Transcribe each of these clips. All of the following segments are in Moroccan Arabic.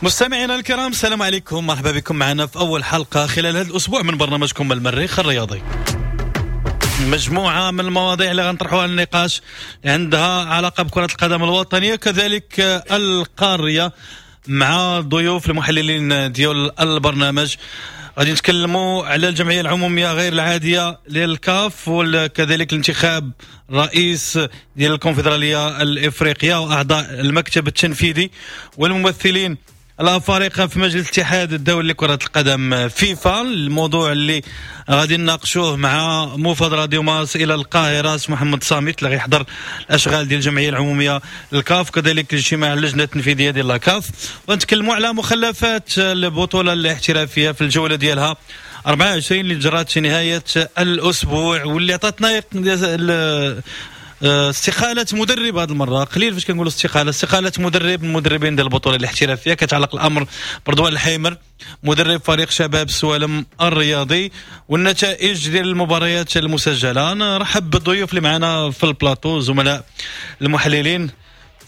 مستمعينا الكرام، السلام عليكم، مرحبا بكم معنا في أول حلقة خلال هذا الأسبوع من برنامجكم المريخ الرياضي. مجموعة من المواضيع اللي غنطرحوها للنقاش عندها علاقة بكرة القدم الوطنية كذلك القارية مع ضيوف المحللين ديال البرنامج. غادي نتكلموا على الجمعية العمومية غير العادية للكاف وكذلك الانتخاب رئيس ديال الكونفدرالية الإفريقية وأعضاء المكتب التنفيذي والممثلين الأفارقة في مجلس الاتحاد الدولي لكرة القدم فيفا. الموضوع اللي غادي نناقشوه مع موفد راديو مارس إلى القاهرة محمد صامت اللي غيحضر الأشغال ديال الجمعية العمومية للكاف، كذلك الاجتماع اللجنة التنفيذية ديال الكاف، ونتكلموا على مخلفات البطولة الاحترافية في الجولة ديالها 24 اللي جرات في نهاية الأسبوع واللي عطاتنا استقالة مدرب. هذه المرة قليل فاش كنقولوا استقالة مدرب من المدربين ديال البطولة الاحترافية. كتعلق الأمر برضوان الحيمر مدرب فريق شباب السوالم الرياضي والنتائج ديال المباريات المسجلة. نرحب بالضيوف اللي معنا في البلاطو، زملاء المحللين.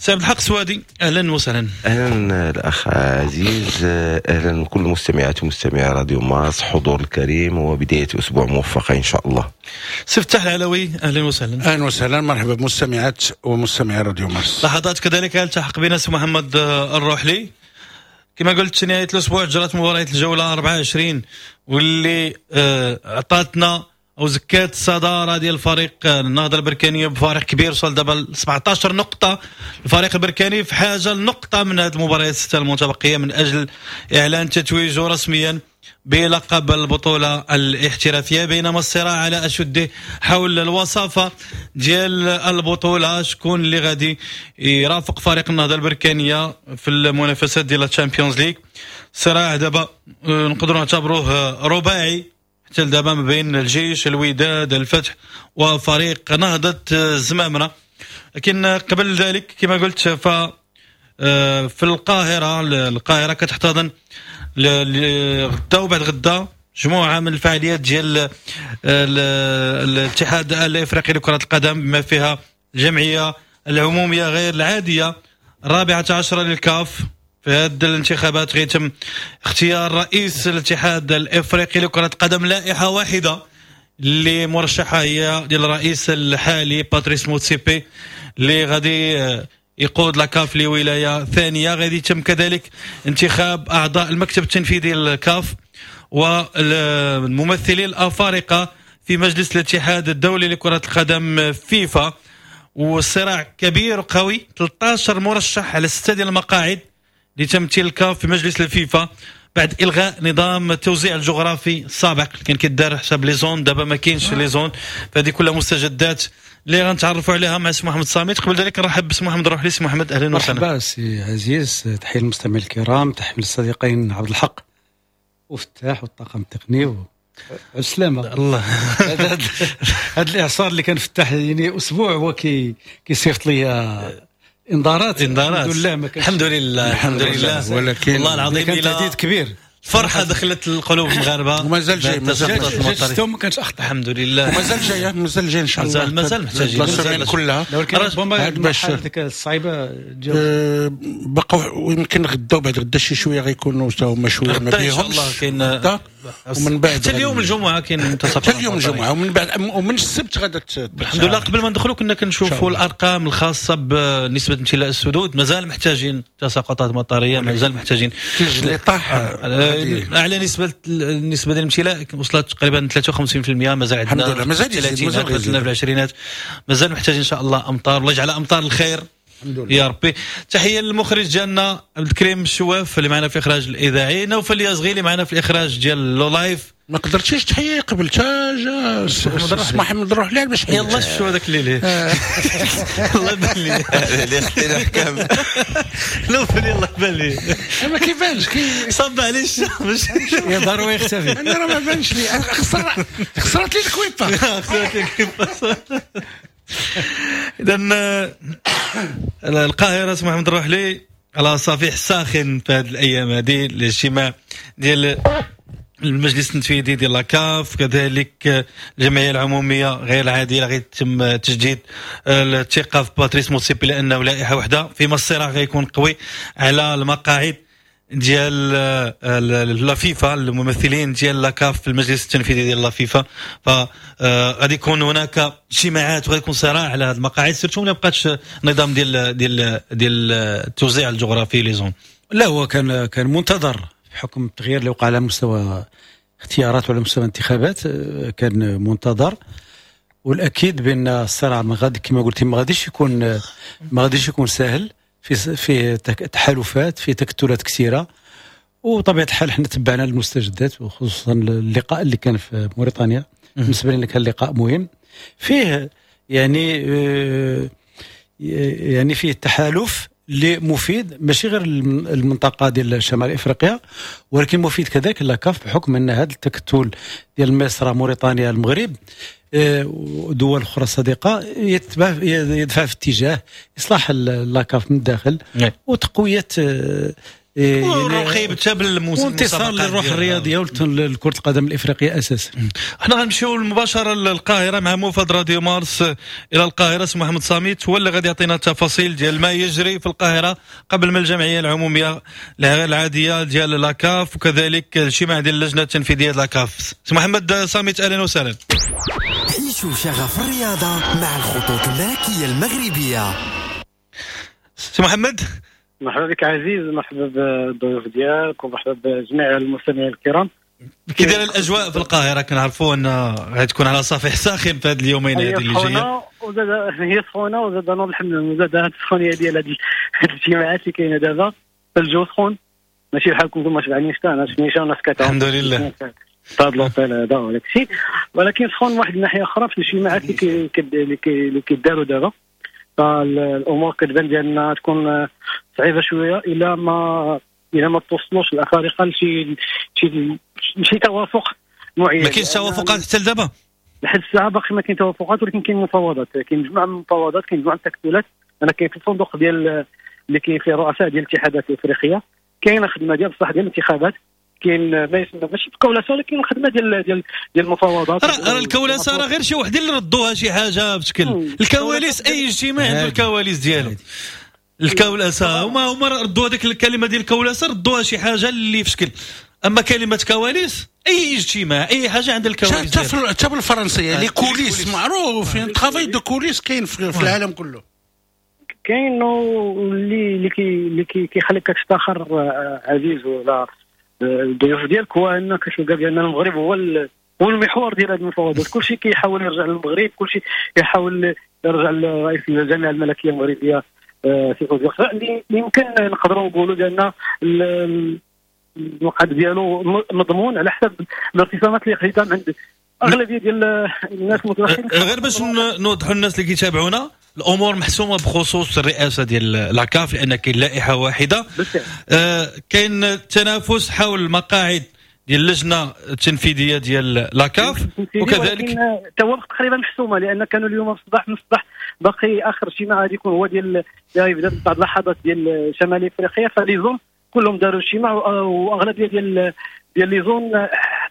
سي عبد الحق سوادي، اهلا وسهلا. اهلا الاخ عزيز، اهلا كل المستمعات ومستمعي راديو مارس، حضور الكريم وبداية اسبوع موفقة ان شاء الله. سي فتاح العلوي، اهلا وسهلا. اهلا وسهلا، مرحبا بمستمعات ومستمعي راديو مارس. لحظات كذلك التحق بنا سي محمد الروحلي. كما قلت نهاية الاسبوع جرت مباريات الجولة 24 واللي عطاتنا او زكات الصدارة ديال الفريق النهضة البركانيه بفارق كبير وصل دابا 17 نقطة. الفريق البركاني في حاجة لنقطة من هذه المباريات الستة المتبقية من اجل اعلان تتويجه رسميا بلقب البطولة الاحترافية، بينما الصراع على اشده حول الوصافه ديال البطولة، شكون اللي غادي يرافق فريق النهضة البركانيه في المنافسات ديال الشامبيونز ليغ. الصراع دابا نقدروا نعتبروه رباعي حتى دابا ما بين الجيش، الوداد، الفتح وفريق نهضة الزمامرة. لكن قبل ذلك كما قلت في القاهرة كتحتضن غدا وبعد غدا مجموعة من الفعاليات ديال الاتحاد الافريقي لكرة القدم بما فيها الجمعية العمومية غير العادية 14 للكاف. في هذه الانتخابات غيتم اختيار رئيس الاتحاد الافريقي لكرة القدم، لائحة واحدة اللي مرشحة هي ديال الرئيس الحالي باتريس موتسيبي اللي غادي يقود la CAF لولاية ثانية. غادي يتم كذلك انتخاب اعضاء المكتب التنفيذي للكاف والممثلين الافارقة في مجلس الاتحاد الدولي لكرة القدم فيفا. والصراع كبير وقوي، 13 مرشح على 6 ديال المقاعد لتمثيل الكاف في مجلس الفيفا بعد الغاء نظام التوزيع الجغرافي السابق كان كيدار حساب les zones، دابا ما كاينش les zones. فهذه كلها مستجدات اللي غنتعرفوا عليها مع سي محمد صامت. قبل ذلك نرحب بسي محمد الروحلي. سي محمد اهلا وسهلا. مرحبا سي عزيز، تحية للمستمعين الكرام، تحية للصديقين عبد الحق وفتاح والطاقم التقني السلامة. الله هذا الاعصار اللي كان فتاح يعني اسبوع هو كيصيفط لي انذارات. الحمد لله، الحمد لله، الحمد لله. ولكن والله العظيم كان تهديد كبير، فرحه دخلت القلوب المغاربة ومازال جاي، مازال ما كانش اخطا الحمد لله، ومازال جاي، مازال جاي ان شاء الله، مازال محتاجين كلها. ولكن ربما ديك الصعيبه بقاو يمكن غدا وبعد غدا شي شوية غيكونوا حتى هما شوية ما بيهمش ان شاء الله. كاين ومن بعد حتى اليوم الجمعة كاين منتصف، حتى اليوم الجمعة ومن بعد ومن السبت غدا الحمد لله. قبل ما ندخلوا كنا كنشوفوا الارقام الخاصة بنسبة امتلاء السدود، مازال محتاجين تساقطات مطريه، مازال محتاجين الثلج اللي طاح. اعلى نسبه النسبة ديال الامتلاء وصلت تقريبا 53%، مازال عندنا الحمد لله، مازال 30 في العشرينات، مازال محتاجين ان شاء الله امطار. الله يجعل امطار الخير الحمد لله يا ربي. تحية للمخرج ديالنا عبد الكريم الشواف اللي معنا في الاخراج الاذاعي، نوفل اليازغي اللي معنا في الاخراج ديال le live. ما قدرتيش تحيي قبل تا جا محمد الروحلي باش يلا شفتوا هذاك الليل الله يبان لي اللي خدينا الحكام نوفل يلا بان لي ما كيبانش صب عليه الشمس يا ضروري يختفي. انا راه ما بانش لي، خسرت لي الكويبه، خسرت لي الكويبه. اذا القاهرة سي محمد الروحلي على صفيح ساخن في هذه الايام هذه، الاجتماع ديال المجلس التنفيذي ديال la CAF، كذلك الجمعية العمومية غير العادية غيتم تجديد الثقة في باتريس موتسيبي لانه لائحة واحدة، فيما الصراع غيكون قوي على المقاعد ديال la FIFA، الممثلين ديال la CAF في المجلس التنفيذي ديال la FIFA. فغادي يكون هناك اجتماعات وغادي يكون صراع على هذه المقاعد، surtout ما بقاتش نظام ديال التوزيع الجغرافي les zones. لا، هو كان منتظر بحكم التغيير اللي وقع على مستوى اختيارات وعلى مستوى الانتخابات، كان منتظر. والاكيد بان الصراع ما غادي، كما قلتي، ما غاديش يكون سهل، في تحالفات، في تكتلات كثيره. وطبيعه الحال حنا تبعنا المستجدات، وخصوصا اللقاء اللي كان في موريتانيا. بالنسبة لنا كان لقاء مهم فيه يعني فيه تحالف اللي مفيد ماشي غير المنطقة ديال شمال افريقيا، ولكن مفيد كذلك la CAF، بحكم ان هذا التكتل ديال مصر، موريتانيا، المغرب ودول اخرى صديقه يدفع في اتجاه اصلاح la CAF من الداخل وتقويه والرقي حتى وانتصار للروح الرياضية ولكره القدم الافريقية اساسا. احنا غنمشيو مباشرة للقاهره مع موفد راديو مارس الى القاهره، سي محمد صامت، هو اللي غادي يعطينا التفاصيل ديال ما يجري في القاهرة قبل من الجمعية العمومية العادية ديال la CAF، وكذلك الاجتماع ديال اللجنة التنفيذية ديال la CAF. سي محمد صامت، اهلا وسهلا. عيشوا شغف الرياضة مع الخطوط الملكية المغربيه. سي محمد. مرحبا بك عزيز، مرحبا بالضيوف ديالك ومرحبا بجميع المستمعين الكرام. كي داير الاجواء في القاهره؟ كنعرفوا ان غتكون على صفيح ساخن في هذه اليومين هذه اللي جايه. وزاد هي سخونه، وزاد نوض الحمد لله، وزاد هذه السخونيه ديال هذه الاجتماعات اللي كاينه دابا. الجو سخون، ماشي بحالكم نتوما شبعانين شتا، انا شميشه وناس كتعوم. الحمد لله. في هذا l'hôtel هذا وداك الشيء، ولكن سخون واحد الناحية اخرى في الاجتماعات اللي كيداروا دابا. فالامور كتبان ديالنا تكون صعيبة شوية الى ما توصلوش الافارقة لشي شي شي توافق معين. ما كاينش توافقات حتى لدابا؟ لحد الساعة باقي ما كاين توافقات، ولكن كاين مفاوضات، كاين مجموعة من المفاوضات، كاين مجموعة من التكتلات. انا كاين في الفندق ديال اللي كاين فيه رؤساء ديال الاتحادات الافريقيه، كاينه خدمة ديال بصح ديال الانتخابات، كاين ما يسمى ماشي بكولاسه، ولكن خدمة ديال المفاوضات. راه الكولاسه راه غير شي وحدين اللي ردوها شي حاجة بشكل الكواليس. اي اجتماع عنده الكواليس ديالو. الكولاسه هما ردوا هذيك الكلمة ديال الكولاسه، ردوها شي حاجة اللي في شكل. اما كلمة كواليس، اي اجتماع، اي حاجة عند الكواليس. حتى بالفرنسيه les coulisses، معروف travail de coulisses كاين في العالم كله. كاين اللي كيخليك تفتخر عزيز ولا الضيوف ديالك هو انك كتلقى بان المغرب هو المحور ديال هذه المفاوضات. كل شيء كيحاول يرجع للمغرب، كل شيء يحاول يرجع لرئيس الجامعة الملكية المغربية سي فوزي اللي يمكن نقدروا نقولوا بان المقعد ديالو مضمون على حسب الارتسامات اللي خديتها من عند اغلبية ديال الناس المتدخلين. غير باش نوضحوا الناس اللي كيتابعونا، الامور محسومة بخصوص الرئاسة ديال la CAF، لان كاين لائحة واحده. كاين تنافس حول المقاعد ديال اللجنة التنفيذية ديال la CAF. وكذلك توافق تقريبا محسومه، لان كانوا اليوم في الصباح، من الصباح باقي اخر اجتماع غادي يكون هو ديال يبدا بعض اللحظات ديال شمال افريقيا. ف les zones كلهم داروا اجتماع، واغلبيه ديال les zones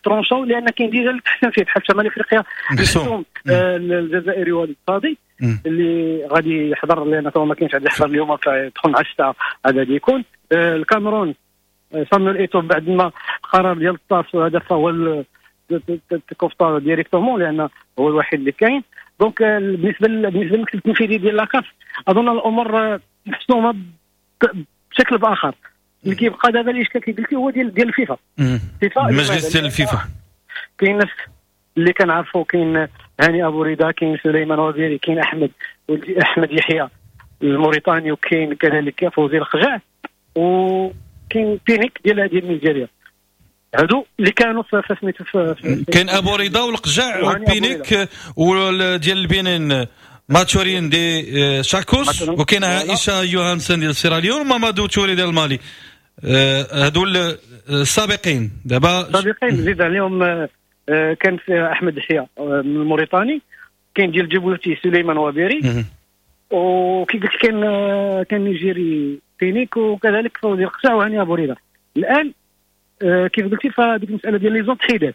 tranchaw، لان كاين déjà اللي تحسن فيه بحال شمال افريقيا محسوم الجزائري وليد صادي اللي غادي يحضر، لان ما كاينش غادي يحضر اليوم، فيدخل مع الساعة هذا غادي يكون. الكاميرون سامويل ايتو بعد ما قرار ديال الطاس وهذا فهو coopté directement، لان هو الوحيد اللي كاين. donc بالنسبه للمكتب التنفيذي ديال la CAF اظن الامور محسومة بشكل باخر. اللي كيبقى دابا الاشكال كي قلتي هو ديال الفيفا. الفيفا، المجلس ديال الفيفا. كاين ناس اللي كنعرفوا، كاين هاني ابو رضا، كاين سليمان وزيري، كاين احمد يحيى الموريتاني، وكاين كذلك فوزي القجع، وكاين بينيك ديال نيجيريا. هادو اللي كانوا في سميتو. كاين ابو رضا والقجع وبينيك وديال البنين ماتورين دي شاكوس، وكاين عائشة يوهانسن ديال سيراليون، ومامادو توري ديال المالي. هادو السابقين دابا. السابقين زيد عليهم كان في احمد يحيى من الموريتاني، كاين ديال جيبوتي سليمان وابيري، وكي قلت كان نيجيري بينيك، وكذلك فوزي القجع وهاني ابو رضا. الان كيف قلتي، فهذيك المسالة ديال les zones تحيدات.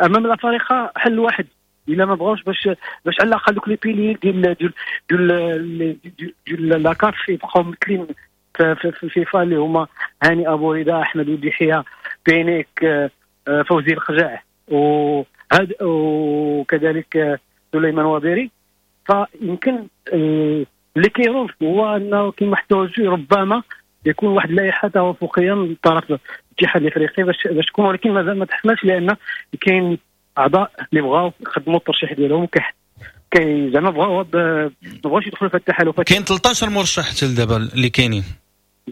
امام الافارقة حل واحد الا ما بغاوش باش على الاقل دوك les piliers ديال la CAF يبقاو مثلين في الفيفا، اللي هما هاني ابو رضا، احمد وديحيه، بينيك، فوزي القجع، وكذلك سليمان وبيري. فيمكن اللي كيروج هو انه كاين واحد التوجه ربما يكون واحد اللائحة توافقيه من طرف الاتحاد الافريقي باش تكون، ولكن مازال ما تحسمش لان كاين اعضاء اللي بغاو يخدموا الترشيح ديالهم كي زعما بغاو ما بغاوش يدخلوا في التحالفات. كاين 13 مرشح حتى لدابا اللي كاينين،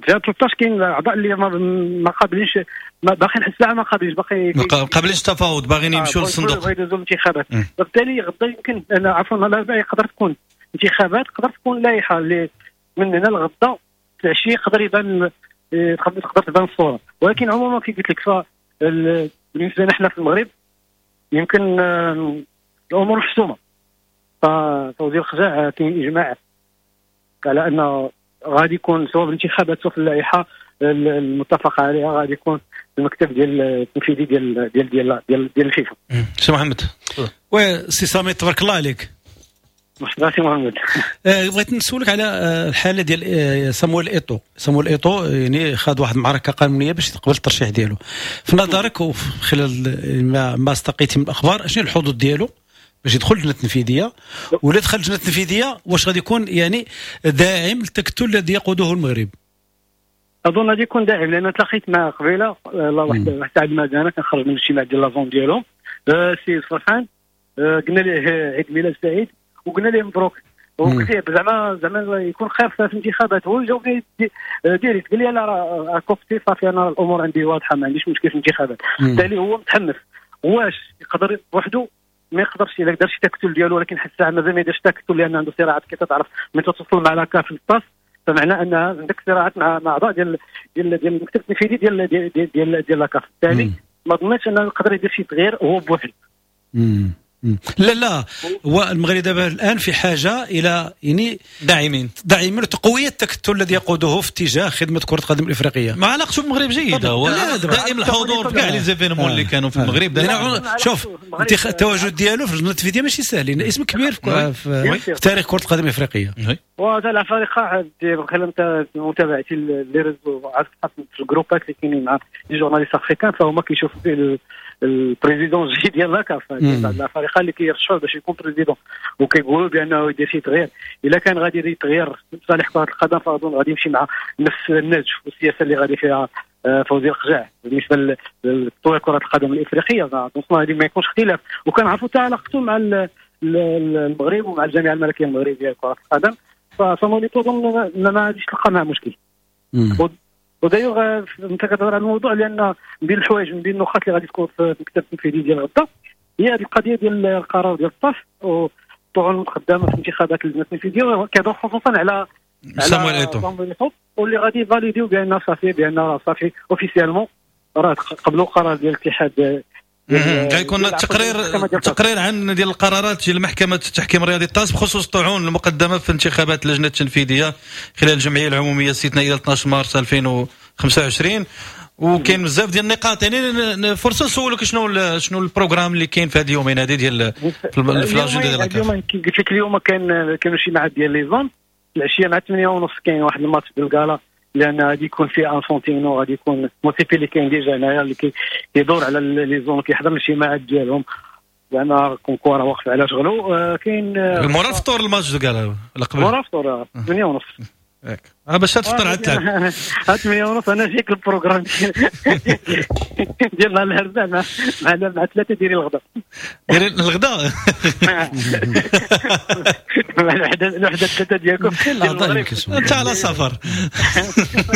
13 كاين اعضاء اللي ما قابلينش، باقي لحد الساعة ما قابلينش، باقي ما قابلينش التفاوض، باغيين يمشوا للصندوق، بغاو يدوزوا الانتخابات. وبالتالي غدا يمكن انا عفوا الاربعاء يقدر تكون انتخابات، تقدر تكون لائحة اللي من هنا لغدا العشية يقدر يبان، تقدر تبان الصورة. ولكن عموما كي قلت لك بالنسبة لنا حنا في المغرب يمكن الامور محسومة. ففوزي القجع كاين اجماع على انه غادي يكون سواء بالانتخابات سواء في اللائحة المتفق عليها غادي يكون المكتب ديال التنفيذي ديال ديال ديال ديال, ديال الفيفا. سي محمد. oui سي سامي تبارك الله عليك. مرحبا سي محمد. بغيت نسولك على الحالة ديال سامويل ايتو. سامويل ايتو يعني خاض واحد المعركة قانونية باش يتقبل الترشيح ديالو. في نظرك وخلال ما استقيتي من الاخبار، شنو الحظوظ ديالو باش يدخل اللجنة التنفيذية؟ ولا دخل اللجنة التنفيذية واش غادي يكون يعني داعم للتكتل الذي يقوده المغرب؟ اظن غادي يكون داعم، لان تلاقيت مع قبيلة واحد سعد مدانه كنخرج من الاجتماع ديال la zone ديالهم، سي فرحان، قلنا ليه عيد ميلاد سعيد وقلنا ليه مبروك، وقلت ليه زعما يكون خير في الانتخابات. هو جاوبني direct قال لي لا راه كوفتي صافي، انا الامور عندي واضحة، ما عنديش مشكل في الانتخابات. بالتالي هو متحمس. واش يقدر بوحده؟ ما يقدرش، الا دار شي تكتل ديالو، ولكن حتى الساعة مازال ما يديرش تكتل لان عنده صراعات كي تعرف من تتوصل مع la CAF في الطاس، فمعنى ان عندك صراعات مع اعضاء ديال ديال ديال المكتب التنفيذي ديال ديال ديال ديال la CAF. بالتالي ما ظنيتش انه يقدر يدير شي تغيير هو بوحده. لا هو المغرب دابا الان في حاجة الى يعني داعمين لتقويه التكتل الذي يقوده في اتجاه خدمة كره القدم الافريقية. ما علاقته بالمغرب جيدة، هو دائم الحضور في كاع les événements اللي كانوا في المغرب. شوف التواجد ديالو في اللجنة التنفيذية ماشي سهل، لان اسم كبير في تاريخ كره القدم الافريقية. وهذا الافارقة خلال متابعتي les réseaux في الجروبات اللي كاينين مع les journalistes africains، فهما كيشوفوا فيه ال président الجديد ديال la CAF، الافارقة اللي كيرشحوه باش يكون président، وكيقولوا بانه يدير شي تغيير. الا كان غادي يدير تغيير في صالح كره القدم فاظن غادي يمشي مع نفس النهج والسياسة اللي غادي فيها فوزي القجع بالنسبة لتطوير كره القدم الافريقية. donc هذه ما يكونش اختلاف، وكنعرفوا حتى علاقته مع المغرب ومع الجامعة الملكية المغربية لكرة القدم. فصامويل ايتو اظن ما غاديش تلقى معه مشكل. ودايوغ انت كتهضر على الموضوع، لان من بين الحوايج من بين النقاط اللي غادي تكون في المكتب التنفيذي ديال غدا هي هذه القضية ديال القرار ديال الطاف والطعون المقدمة في انتخابات اللجنة التنفيذية، كيهضر خصوصا على سامويل ايتو، واللي غادي valider بان صافي، بان صافي officiellement راه قبلوا قرار ديال الاتحاد. غيكون التقرير عن ديال القرارات ديال محكمة التحكيم الرياضي الطاس بخصوص الطعون المقدمة في انتخابات اللجنة التنفيذية خلال الجمعية العمومية الاستثنائية 12 مارس 2025. وكاين بزاف ديال النقاط، يعني فرصة نسولك شنو ال programme اللي كاين في هذه اليومين هذه ديال في l'agenda ديال اليوم. كي قلت لك اليوم كانوا اجتماعات ديال les zones، العشية مع 8:30 كاين واحد الماتش ديال الكالا، لان غادي يكون فيه انفونتينو، غادي يكون موسيبي اللي كاين déjà هنايا اللي كيدور على les zones، كيحضر الاجتماعات ديالهم، زعما كونكورا واقف على شغلو. كاين مورا الفطور الماتش de gala ولا قبل؟ مورا الفطور 8:30. ياك باش تفطر عاد تلعب 8:30. انا جايك ال programme ديال نهار الاربعاء مع 3 ديري الغداء. ديري الغداء مع الوحدة 3 ديالكم. انت على سفر.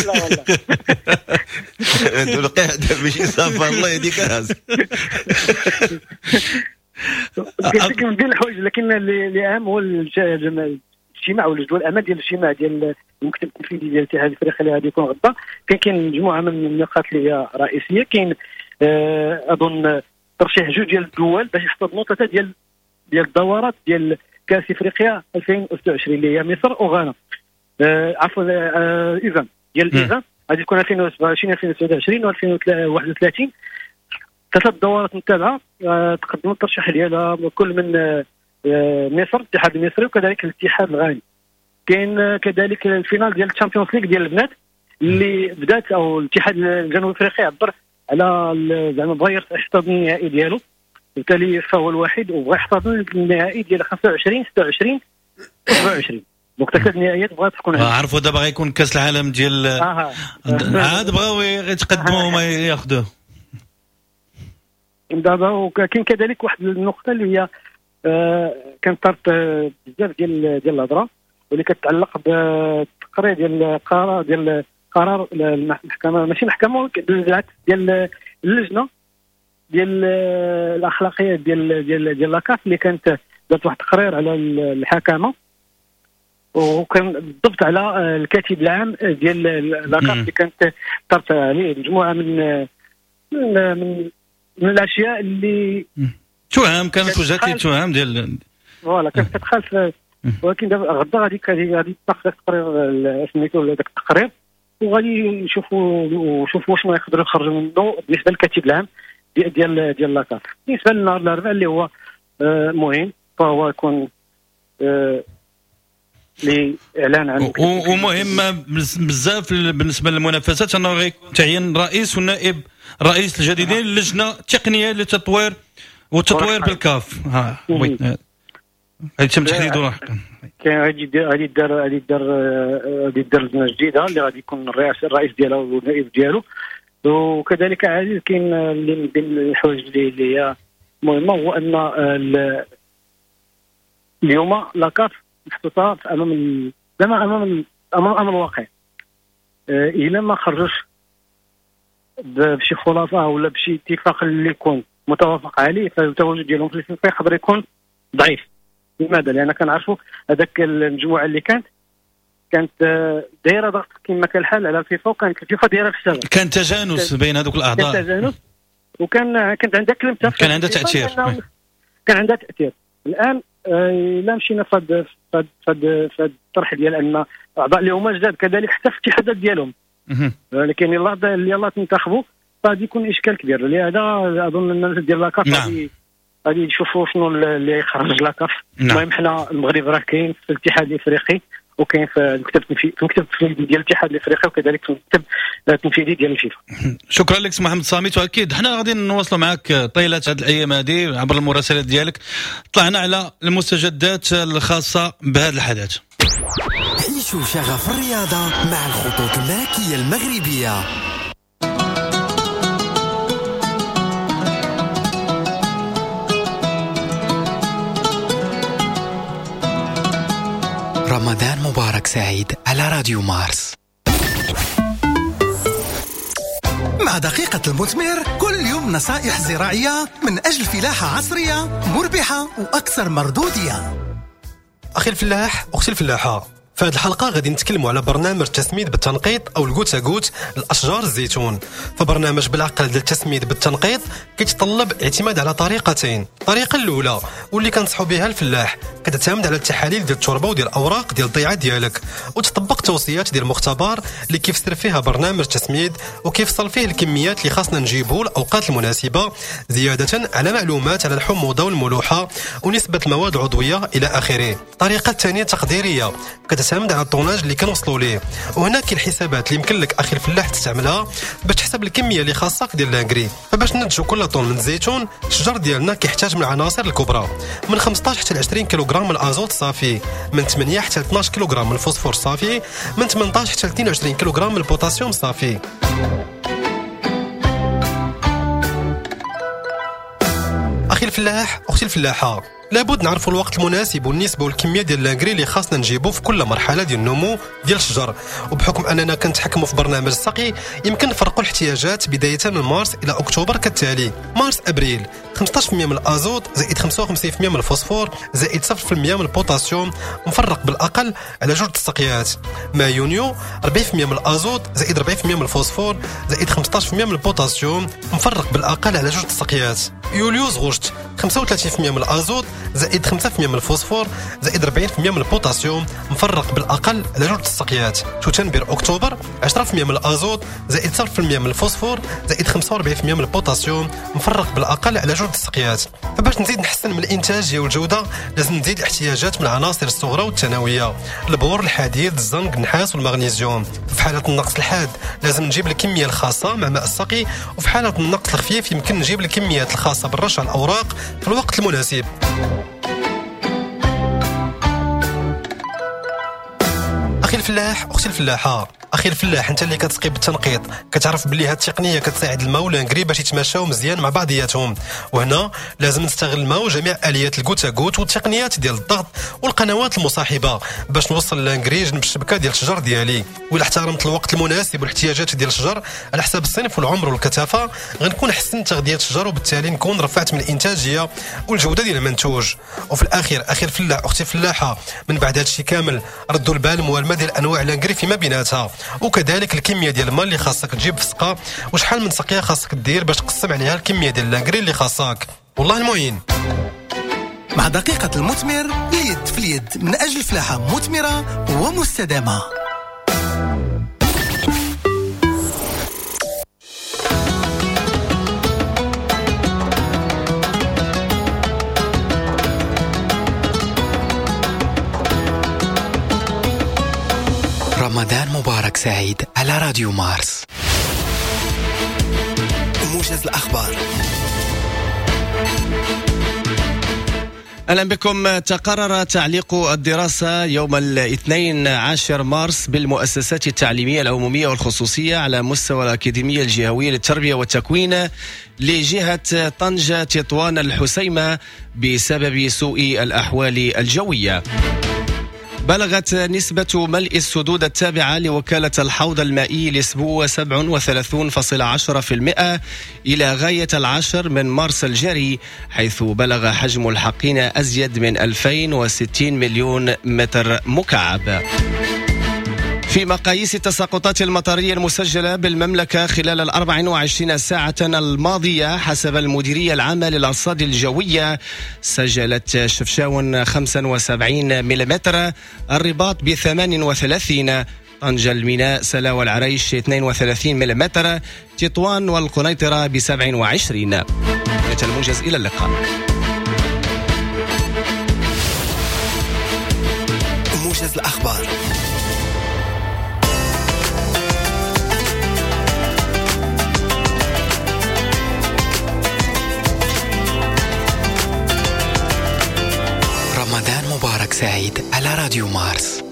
لا والله القعدة ماشي سفر، الله يهديك. قلت لك من بين الحوايج، لكن اللي اهم هو الاجتماع والجدول الاعمال ديال الاجتماع ديال المكتب التنفيذي ديال الاتحاد الافريقي اللي غادي يكون غدا. كاين مجموعة من النقاط اللي هي رئيسية. كاين اظن ترشيح جوج ديال الدول باش يحتضنوا ثلاثة ديال الدورات ديال كاس افريقيا 2026 اللي هي مصر وغانا. عفوا ايفان ديال ايفان غادي تكون 2027 2029 و2031. ثلاث دورات متابعه تقدموا الترشيح ديالها كل من مصر الاتحاد المصري وكذلك الاتحاد الغاني. كاين كذلك ال finale ديال ال Champions League ديال البنات اللي بدات او الاتحاد الجنوب الافريقي عبر على زعما بغى يحتضن النهائي ديالو، بالتالي فهو الوحيد وبغى يحتضن النهائي ديال 25 26 27. donc ثلاث نهائيات بغات تكون. عرفوا دابا غيكون كاس العالم ديال عاد بغاو يتقدموا وما ياخذوه دابا. وكاين كذلك واحد النقطة اللي هي كانت طرت بزاف ديال الهضرة واللي كتعلق بالتقرير ديال قرار ديال قرار المحكمة، ماشي محكمة بالعكس ديال اللجنة ديال الاخلاقية ديال ديال ديال la CAF اللي كانت دارت واحد التقرير على الحكامه، وكان بالضبط على الكاتب العام ديال la CAF اللي كانت طرت عليه مجموعة من من من الاشياء اللي تهم كانت وجهت لي تهم ديال voilà كانت كتخالف. ولكن دابا غدا غادي يتناقش داك التقرير سميتو داك التقرير، وغادي نشوفوا واش ما يقدروا يخرجوا منه بالنسبة للكاتب العام ديال la CAF. بالنسبة للنهار الاربعاء اللي هو مهم، فهو يكون لاعلان عن ومهم بزاف بالنسبة للمنافسات انه غيكون تعيين رئيس والنائب رئيس الجديدين للجنة التقنية للتطوير والتطوير بالكاف. ها oui غادي يتم تحديده لاحقا. كاين غادي يدار لجنة جديدة اللي غادي يكون الرئيس ديالها والنائب ديالو. وكذلك عزيز كاين اللي من بين الحوايج اللي هي مهمة هو ان اليوم la CAF محطوطة امام زعما امام امام الواقع. الا ما خرجوش بشي خلاصه ولا بشي اتفاق اللي يكون متوافق عليه، فالتواجد ديالهم في الفيفا يقدر يكون ضعيف. لماذا؟ لان كنعرفوا هذاك المجموعة اللي كانت دايرة ضغط كما كان الحال على الفيفا، وكانت الفيفا دايرة في السبب. كان تجانس بين هذوك الاعضاء، كان تجانس، وكان كانت عندها كلمة، كان عندها تاثير، كان عندها تاثير. الان الا مشينا في هذا الطرح ديال ان الاعضاء اللي هما جداد كذلك حتى في الاتحادات ديالهم، ولكن يلاه تنتخبوا فغادي يكون اشكال كبير. لهذا اظن الناس ديال la CAF غادي يشوفوا شنو اللي يخرج la CAF. المهم حنا المغرب راه كاين في الاتحاد الافريقي، وكاين في المكتب التنفيذي ديال الاتحاد الافريقي، وكذلك في المكتب التنفيذي ديال الفيفا. شكرا لك محمد صامت، واكيد حنا غادي نواصلوا معك طيلة هذه الايام هذه عبر المراسلات ديالك. طلعنا على المستجدات الخاصة بهذا الحدث. عيشوا شغف الرياضة مع الخطوط الملكية المغربية. رمضان مبارك سعيد على راديو مارس. مع دقيقة المثمر كل يوم نصائح زراعية من أجل فلاحة عصرية مربحة وأكثر مردودية. أخي الفلاح، أختي الفلاحة، في هذه الحلقة غادي نتكلموا على برنامج التسميد بالتنقيط أو ال goutte à goutte لأشجار الزيتون. فبرنامج بالعقل ديال التسميد بالتنقيط كيتطلب اعتماد على طريقتين. الطريقة الأولى واللي كنصحوا بها الفلاح كتعتمد على التحاليل ديال التربة وديال الأوراق ديال الضيعة ديالك، وتطبق توصيات ديال المختبر اللي كيفسر فيها برنامج التسميد وكيفصل فيه الكميات اللي خاصنا نجيبو الأوقات المناسبة، زيادة على معلومات على الحموضة والملوحة ونسبة المواد العضوية إلى آخره. الطريقة الثانية تقديرية كتعتمد على ال tonnage اللي كنوصلوا ليه، وهنا كاين الحسابات اللي يمكن لك اخي الفلاح تستعملها باش تحسب الكمية اللي خاصك ديال l'engrais. فباش ننتجوا كل طن من الزيتون الشجر ديالنا كيحتاج من العناصر الكبرى من 15 حتى 20 كيلوغرام من الازوت الصافي، من 8 حتى 12 كيلوغرام من الفوسفور الصافي، من 18 حتى 22 كيلوغرام من البوتاسيوم الصافي. اخي الفلاح، اختي الفلاحة، لابد نعرفوا الوقت المناسب والنسبه والكميه ديال l'engrais اللي خاصنا نجيبو في كل مرحلة ديال النمو ديال الشجر. وبحكم اننا كنتحكموا في برنامج السقي يمكن نفرقوا الاحتياجات بداية من مارس الى اكتوبر كالتالي: مارس ابريل 15% من الازوت زائد 55% من الفوسفور زائد 0% من البوتاسيوم، مفرق بالاقل على جوج السقيات. ما يونيو 40% من الازوت زائد 40% من الفوسفور زائد 15% من البوتاسيوم، مفرق بالاقل على جوج السقيات. يوليوز غشت 25% 35% من الازوت زائد 5% من الفوسفور زائد 40% من البوتاسيوم، مفرق بالاقل على 2 السقيات. شتنبر اكتوبر 10% من الازوت زائد 0% من الفوسفور زائد 45% من البوتاسيوم، مفرق بالاقل على 2 السقيات. فباش نزيد نحسن من الانتاجية والجودة لازم نزيد الاحتياجات من العناصر الصغرى والثانويه، البور، الحديد، الزنك، النحاس والمغنيسيوم. في حاله النقص الحاد لازم نجيب الكمية الخاصة مع ماء السقي، وفي حاله النقص الخفيف يمكن نجيب الكميات الخاصة بالرش على الاوراق في الوقت المناسب. اخي الفلاح، اختي الفلاحة، اخي الفلاح، انت اللي كتسقي بالتنقيط كتعرف بلي هاد التقنية كتساعد الماء و l'engrais باش يتماشاو مزيان مع بعضياتهم، وهنا لازم نستغل الماء وجميع اليات ال goutte à goutte والتقنيات ديال الضغط والقنوات المصاحبة باش نوصل l'engrais جنب الشبكة ديال الشجر ديالي. وإلا احترمت الوقت المناسب والاحتياجات ديال الشجر على حساب الصنف والعمر والكثافه غنكون حسنت تغذية الشجر، وبالتالي نكون رفعت من الانتاجية والجودة ديال المنتوج. وفي الاخير اخي الفلاح، اختي الفلاحة، من بعد هادشي كامل ردوا البال موالمه ديال انواع l'engrais فيما بيناتها، وكذلك الكمية ديال الماء اللي خاصك تجيب في السقا وشحال من سقيه خاصك دير باش تقسم عليها الكمية ديال l'engrais اللي خاصك. والله المعين. مع دقيقة المثمر، اليد في اليد من اجل فلاحة مثمرة ومستدامه. رمضان مبارك سعيد على راديو مارس. موجز الأخبار. أهلا بكم. تقرر تعليق الدراسة يوم الاثنين 10 مارس بالمؤسسات التعليمية العمومية والخصوصية على مستوى الأكاديمية الجهوية للتربية والتكوين لجهة طنجة تطوان الحسيمة بسبب سوء الأحوال الجوية. بلغت نسبة ملء السدود التابعة لوكالة الحوض المائي لأسبوع 37.10% إلى غاية 10 من مارس الجاري، حيث بلغ حجم الحقين أزيد من 2060 مليون متر مكعب. في مقاييس التساقطات المطرية المسجلة بالمملكة خلال 24 ساعة الماضية حسب المديرية العامة للأرصاد الجوية، سجلت شفشاون 75 ملم، الرباط ب 38، طنجة الميناء سلا والعريش 32 ملم، تطوان والقنيطرة ب 27. الموجز، إلى اللقاء. موجز الأخبار. رمضان مبارك سعيد على راديو مارس.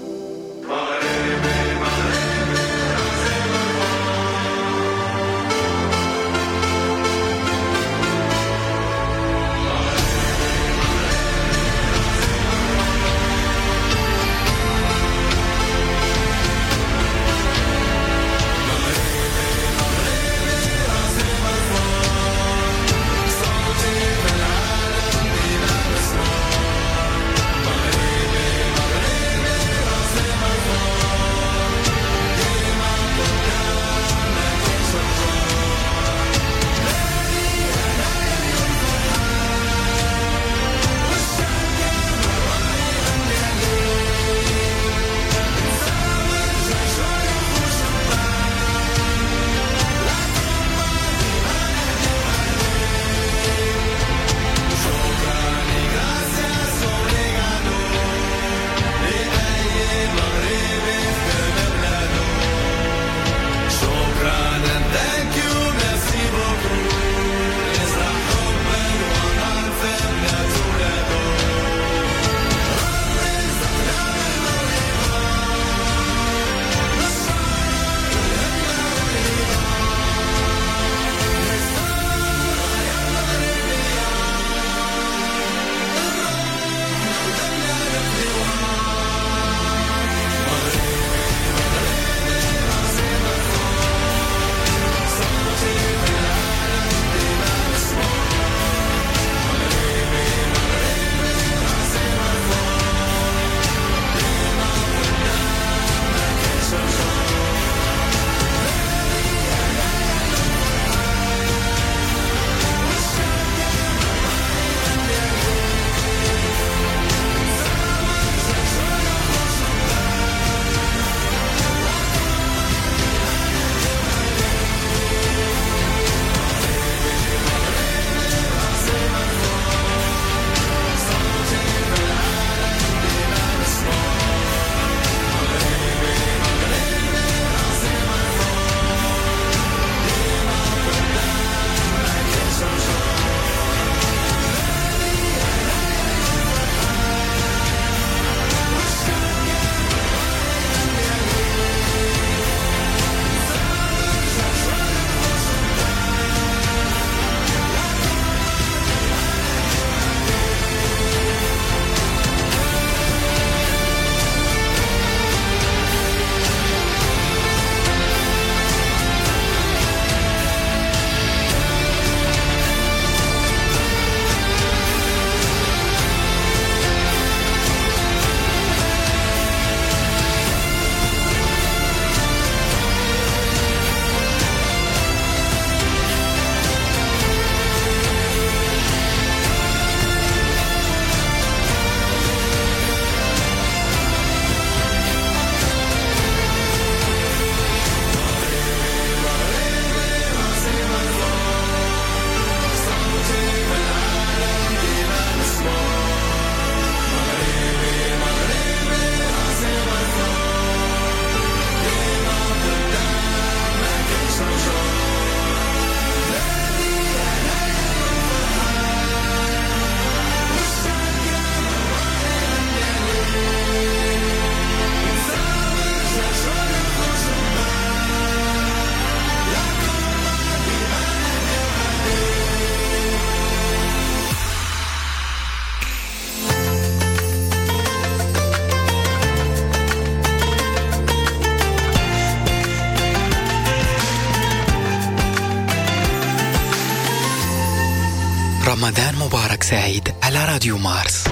رمضان مبارك سعيد على راديو مارس.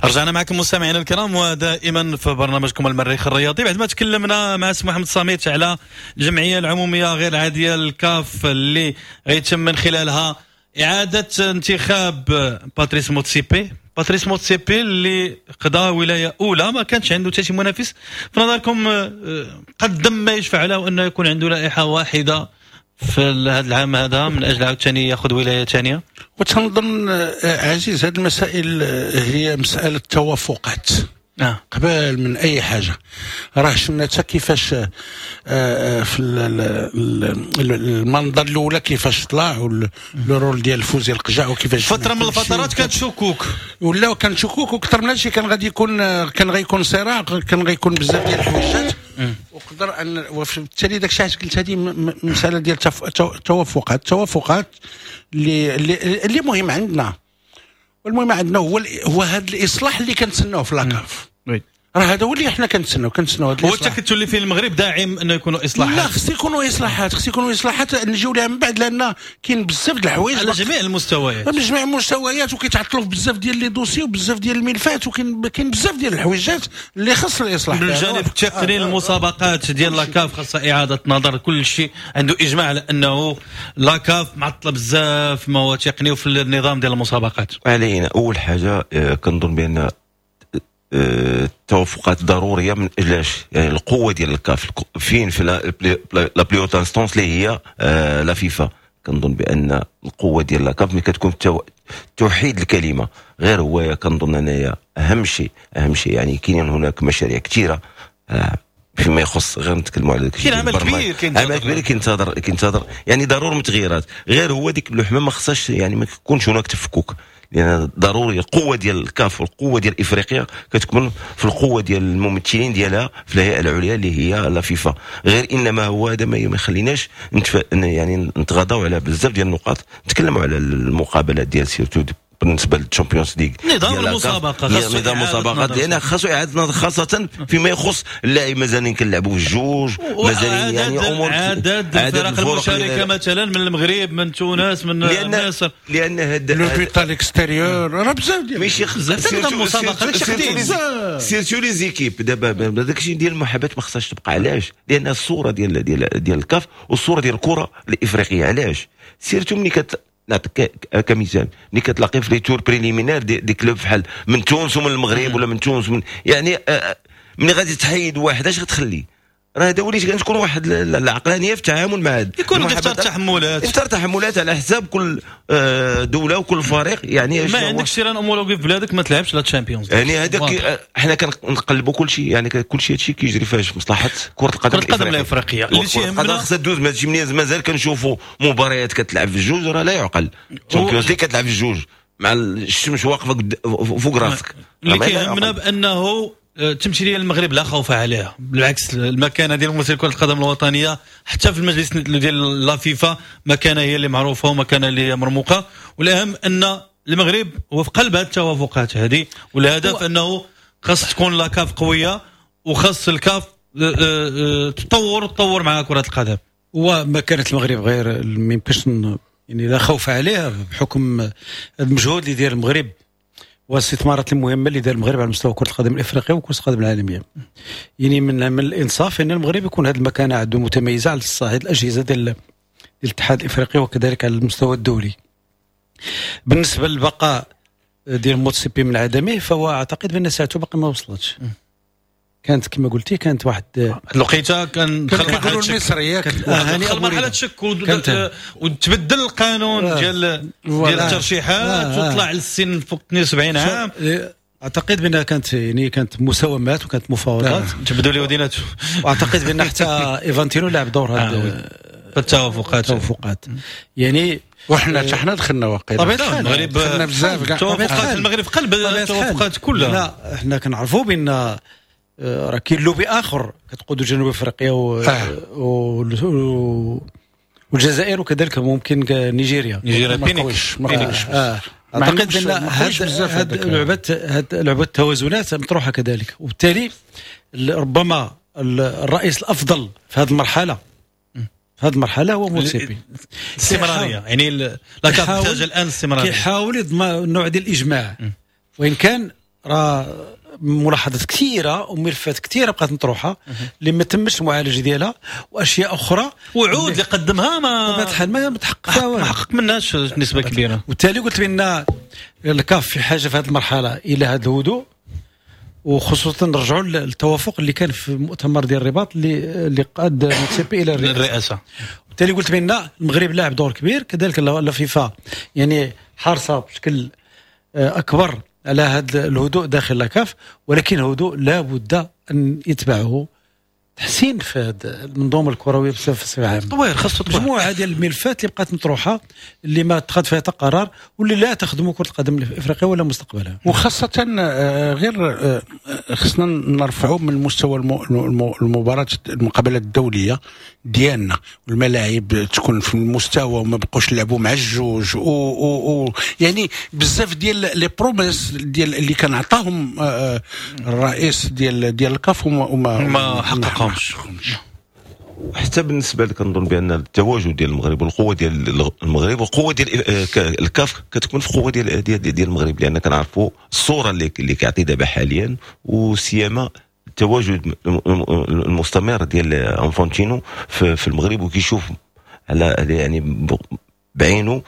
رجعنا معكم مستمعينا الكرام ودائما في برنامجكم المريخ الرياضي. بعد ما تكلمنا مع سي محمد صميت على الجمعية العمومية غير العادية الكاف اللي غيتم من خلالها اعاده انتخاب باتريس موتسيبي. باتريس موتسيبي اللي قضى ولاية اولى ما كانش عنده حتى شي منافس، في نظركم قدم ما يشفع له انه يكون عنده لائحة واحدة في هذا العام هذا من اجل عاوتاني ياخذ ولاية ثانية؟ وتنظن عزيز هذه المسائل هي مسالة توافقات قبل من اي حاجة. راه شفنا حتى كيفاش في المنظر الاولى كيفاش طلع le rôle ديال فوزي القجع وكيفاش فترة من الفترات كانت شكوك ولا كان شكوك وكثر من هادشي، كان غادي يكون كان غيكون صراع، كان غيكون بزاف ديال الحويجات وقدر ان وبالتالي داك الشيء علاش قلت هذه مسالة ديال التوافقات، التوافقات اللي اللي مهم عندنا. والمهم عندنا هو هذا الاصلاح اللي كنتسناوه في la CAF. راه هذا هو اللي حنا كنتسناو هذا الاصلاح. هو التكتل اللي فيه المغرب داعم انه يكونوا اصلاحات. لا خص يكونوا اصلاحات، خص يكونوا اصلاحات نجيو لها من بعد، لان كاين بزاف د الحوايج على جميع المستويات، على جميع المستويات، وكيتعطلوا في بزاف ديال les dossiers وبزاف ديال الملفات، وكاين بزاف ديال الحويجات اللي خص الاصلاح. من الجانب التقني المسابقات ديال la CAF خاصها اعاده نظر، كل شيء عنده اجماع على انه la CAF معطلة بزاف ما هو تقني وفي النظام ديال المسابقات. علينا اول حاجة كنظن بان التوافقات ضرورية من اجلاش يعني القوة ديال الكاف فين في la plus haute instance اللي هي la FIFA. كنظن بان القوة ديال la CAF ملي كتكون توحيد الكلمة غير هو كنظن انايا اهم شيء يعني كاينين هناك مشاريع كثيرة فيما يخص غير نتكلموا على كاين عمل كبير، عمل كبير كينتظر يعني ضروري من تغييرات. غير هو ديك اللحمة ما خصهاش يعني ما يكونش هناك تفكك، لان ضروري القوة ديال الكاف والقوه ديال افريقيا كتكون في القوة ديال الممثلين ديالها في الهيئة العليا اللي هي la FIFA. غير انما هو هذا ما يخليناش يعني نتغاضاو على بزاف ديال النقاط. نتكلموا على المقابلات ديال surtout بالنسبة لل Champions League، نظام المسابقة، نظام المسابقات لان خاصو اعاده نظر خاصة فيما يخص اللاعب. مازالين كنلعبوا في الجوج، مازالين يعني امور عدد الفرق المشاركة مثلا من المغرب، من تونس، من مصر، لان هذا le but à l'extérieur راه بزاف ديال ماشي بزاف نظام المسابقة داكشي قديم surtout les équipes. دابا داكشي ديال المحاباه ما خصهاش تبقى. علاش؟ لان الصورة ديال ديال ديال الكاف والصورة ديال الكره الافريقية. علاش؟ surtout ملي نعطيك كمثال ملي كتلاقي في les tours préliminaires des clubs بحال من تونس ومن المغرب ولا من تونس ومن يعني ملي غادي تحيد واحد اش غتخلي؟ راه هذا وليت كتكون واحد العقلانية في التعامل مع هذا، يكون دفتر تحملات، دفتر تحملات على حساب كل دولة وكل فريق. يعني ما عندكش terrain homologué في بلادك ما تلعبش la Champions. يعني هذاك حنا كنقلبوا كل شيء، يعني كل شيء هادشي كيجري فاش في مصلحة كره القدم الافريقية. اللي تيهمنا خصها دوز، ما تجي مازال كنشوفوا مباريات كتلعب في الجوج راه لا يعقل. Champions League كتلعب في الجوج مع الشمس واقفة فوق راسك. اللي كيهمنا بانه التمثيلية المغرب لا خوف عليها، بالعكس المكانة ديال ممثل كره القدم الوطنية حتى في المجلس ديال la FIFA مكانه هي اللي معروفة ومكانه اللي هي مرموقة. والاهم ان المغرب هو في قلب هذه التوافقات هذه، والهدف انه خاص تكون la CAF قوية وخاص الكاف تطور مع كره القدم. ومكانه المغرب غير ما يمكنش يعني لا خوف عليها بحكم المجهود اللي داير المغرب والاستثمارات المهمة اللي دار المغرب على مستوى كره القدم الافريقية وكره القدم العالمية. يعني من الانصاف ان المغرب يكون هذه المكانة عنده متميزة على الصعيد الاجهزة ديال الاتحاد الافريقي وكذلك على المستوى الدولي. بالنسبة للبقاء ديال موتسيبي من عدمه، فهو اعتقد بان ساعته باقي ما وصلتش. كانت كما قلتي كانت واحد الوقيته كان دخل مرحلة شك، دخل مرحلة شك وتبدل القانون ديال الترشيحات وطلع للسن فوق 72 عام. اعتقد بانها كانت يعني كانت مساومات وكانت مفاوضات تبدو لي وديناته، واعتقد بان حتى ايفانتينو لعب دور هذا التوافقات يعني. وحنا حتى حنا دخلنا واقيلا طبيعي المغرب دخلنا بزاف كاع توافقات المغرب في قلب التوافقات كلها. لا حنا كنعرفوا بان راه كاين لوبي اخر كتقودو جنوب افريقيا والجزائر وكذلك ممكن نيجيريا بينيكس. اعتقد بان هاد لعبه التوازنات مطروحة كذلك، وبالتالي ربما الرئيس الافضل في هذه المرحلة، في هذه المرحلة هو موتسيبي. الاستمرارية يعني la CAF تحتاج الان الاستمرارية، كيحاول يضمن نوع ديال الاجماع، وان كان راه ملاحظات كثيرة وملفات كثيرة بقات مطروحة اللي ما تمش المعالجة ديالها، واشياء اخرى وعود اللي قدمها ما بطبيعة الحال ما تحقق، ما حقق منهاش نسبه كبيرة. وبالتالي قلت بان الكاف في حاجة في هذه المرحلة الى هذا الهدوء، وخصوصا نرجعوا للتوافق اللي كان في المؤتمر ديال الرباط اللي قاد موتسيبي الى الرئاسة. وبالتالي قلت بان المغرب لعب دور كبير، كذلك la FIFA يعني حارصه بشكل اكبر على هذا الهدوء داخل la CAF، ولكن الهدوء لا بد ان يتبعه تحسين في هذه المنظومة الكروية بصفة عامة. تطوير، خاصة تطوير مجموعة ديال الملفات اللي بقات مطروحة اللي ما اتخذ فيها حتى قرار واللي لا تخدم كره القدم الافريقية ولا مستقبلها. وخاصة غير خصنا نرفعوا من مستوى المباراة، المقابلات الدولية ديالنا، والملاعب تكون في المستوى وما بقوش نلعبوا مع الجوج و يعني بزاف ديال les promesses ديال اللي كان عطاهم الرئيس ديال الكاف وما حققهمش. حتى بالنسبة لك كنظن بان التواجد ديال المغرب والقوه ديال المغرب والقوه ديال الكاف كتكون في قوة ديال ديال المغرب، لان كنعرفوا الصورة اللي كيعطي دابا حاليا، وسيما التواجد المستمر ديال انفانتينو في المغرب، وكيشوف على يعني بعينه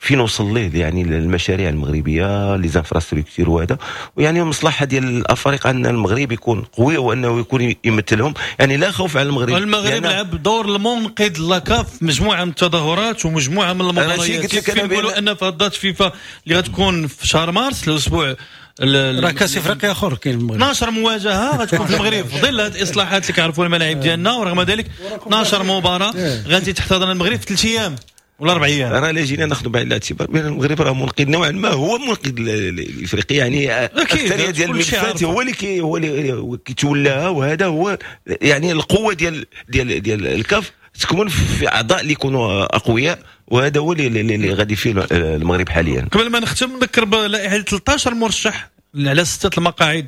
فين وصل ليه يعني المشاريع المغربية les infrastructures وهذا، ويعني المصلحة ديال الافارقة ان المغرب يكون قوي وانه يكون يمثلهم، يعني لا خوف على المغرب. المغرب لعب دور المنقذ la CAF مجموعة من التظاهرات ومجموعة من المباريات. كيف نقولوا ان في date فيفا اللي غتكون في شهر مارس الاسبوع راه كاس افريقيا اخر كاين المغرب 12 مواجهة غتكون في المغرب في ظل هذه الاصلاحات اللي كيعرفوا الملاعب ديالنا، ورغم ذلك 12 مباراة غادي تحتضن المغرب في 3 ايام ولا 4 ايام. راه لا جينا ناخذ بعين الاعتبار بان المغرب راه منقذ نوعا ما، هو منقذ الافريقيا، يعني اكثرية ديال الملفات هو اللي هو اللي كيتولاها، وهذا هو يعني القوة ديال ديال ديال الكاف تكون في اعضاء اللي يكونوا اقوياء، وهذا هو اللي غادي فيه المغرب حاليا. قبل ما نختم نذكر بلائحه 13 مرشح على 6 المقاعد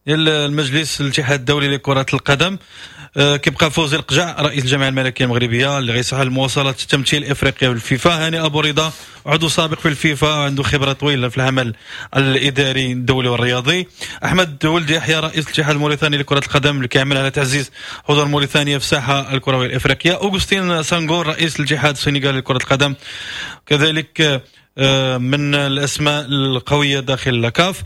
ديال المجلس الاتحاد الدولي لكرة القدم. كيبقى فوزي القجع رئيس الجامعة الملكية المغربية اللي غيسعى لمواصلة تمثيل افريقيا في الفيفا، هاني ابو رضا عضو سابق في الفيفا وعنده خبره طويلة في العمل الاداري الدولي والرياضي، احمد ولد يحيى رئيس الاتحاد الموريتاني لكرة القدم اللي كيعمل على تعزيز حضور موريتانيا في الساحة الكروية الافريقية، اوغستين سانغور رئيس الاتحاد السنغالي لكرة القدم، كذلك من الاسماء القوية داخل la CAF،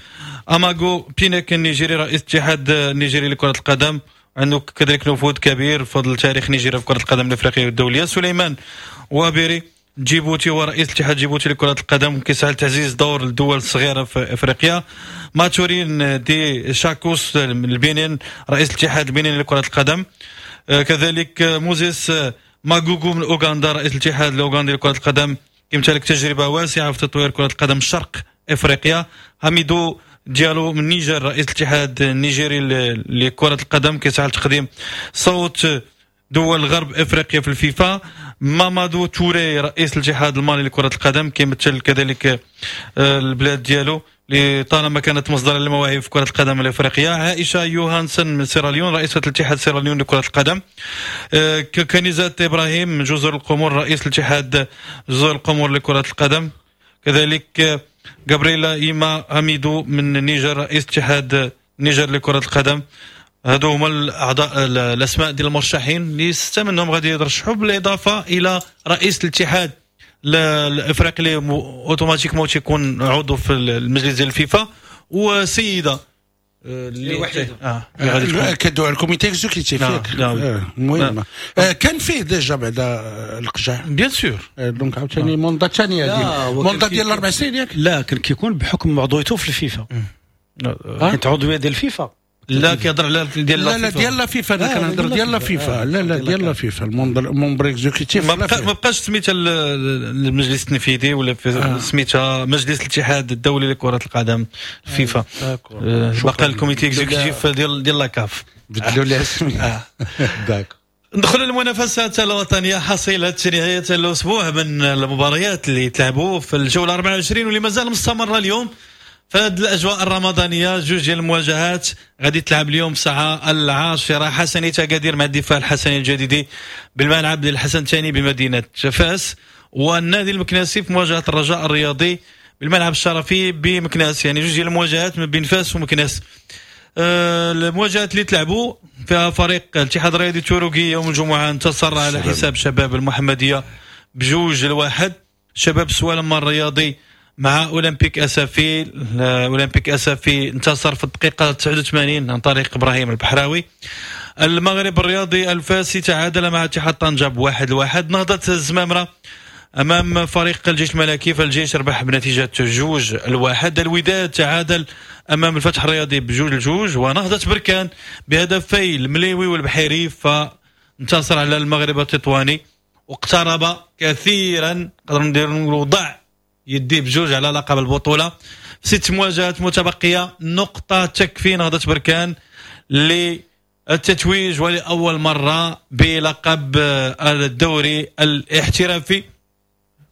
اماغو بينيك النيجيري رئيس الاتحاد النيجيري لكرة القدم عنده كذلك نفوذ كبير بفضل تاريخ نيجيريا في كرة القدم الافريقية والدولية، سليمان وابيري جيبوتي هو رئيس الاتحاد الجيبوتي لكرة القدم كيسعى لتعزيز دور الدول الصغيرة في افريقيا، ماتورين دي شاكوس من البنين رئيس الاتحاد البنيني لكرة القدم، كذلك موزيس ماغوغو من اوغندا رئيس الاتحاد الاوغندي لكرة القدم يمتلك تجربة واسعة في تطوير كرة القدم شرق افريقيا، حميدو ديالو من النيجر رئيس الاتحاد النيجيري لكرة القدم كيسعى لتقديم صوت دول غرب افريقيا في الفيفا، مامادو توري رئيس الاتحاد المالي لكرة القدم كيمثل كذلك البلاد ديالو اللي طالما كانت مصدرا للمواهب في كرة القدم الافريقية، عائشة يوهانسن من سيراليون رئيسة الاتحاد سيراليون لكرة القدم، كنيزة ابراهيم من جزر القمر رئيس الاتحاد جزر القمر لكرة القدم، كذلك غابرييلا إيما أميدو من النيجر رئيس اتحاد النيجر لكرة القدم. هادو هما الاعضاء الاسماء ديال المرشحين اللي 6 منهم غادي يترشحوا، بالاضافة الى رئيس الاتحاد الافريقي اللي automatiquement تيكون عضو في المجلس ديال الفيفا، وسيده اللي وحيده كدعو ال comité exécutif. المهم كان فيه déjà بعدا القجع. bien sûr. donc عاوتاني mandat ثانية، mandat ديال 4 سنين، ياك؟ لا، كان كيكون بحكم عضويته في الفيفا، حيت عضوية ديال الفيفا. لا، كيهضر على ديال لا لا، ديال la FIFA، انا كنهضر ديال la FIFA. لا لا، ديال la FIFA، ال membre exécutif. ما بقاش سميتها المجلس التنفيذي ولا سميتها مجلس الاتحاد الدولي لكرة القدم فيفا، بقى ال comité exécutif ديال la CAF. بدلوا لها سميتها، d'accord. ندخل المنافسات الوطنيه، حصيله نهاية الاسبوع من المباريات اللي تلعبوا في الجولة 24 واللي مازال مستمرة اليوم في هذه الاجواء الرمضانيه. جوج ديال المواجهات غادي تلعب اليوم الساعة 10، حسنية اكادير مع الدفاع الحسني الجديدي بالملعب ديال الحسن الثاني بمدينة فاس، والنادي المكناسي في مواجهة الرجاء الرياضي بالملعب الشرفي بمكناس. يعني جوج ديال المواجهات ما بين فاس ومكناس. المواجهات اللي تلعبوا فيها، فريق الاتحاد الرياضي التاوركي يوم الجمعة انتصر على حساب شباب المحمدية ب2-1. شباب السوالم الرياضي مع اولمبيك اسفي، اولمبيك اسفي انتصر في الدقيقة 89 عن طريق ابراهيم البحراوي. المغرب الرياضي الفاسي تعادل مع اتحاد طنجة ب1-1. نهضة الزمامره امام فريق الجيش الملكي، فالجيش ربح بنتيجة 2-1. الوداد تعادل امام الفتح الرياضي ب2-2. ونهضه بركان بهدفي المليوي والبحيري فانتصر على المغرب التطواني واقترب كثيرا، نقدر ندير وضع يدي بجوج على لقب البطوله. ست مواجهات متبقيه، نقطة تكفي نهضة بركان للتتويج ولاول مرة بلقب الدوري الاحترافي.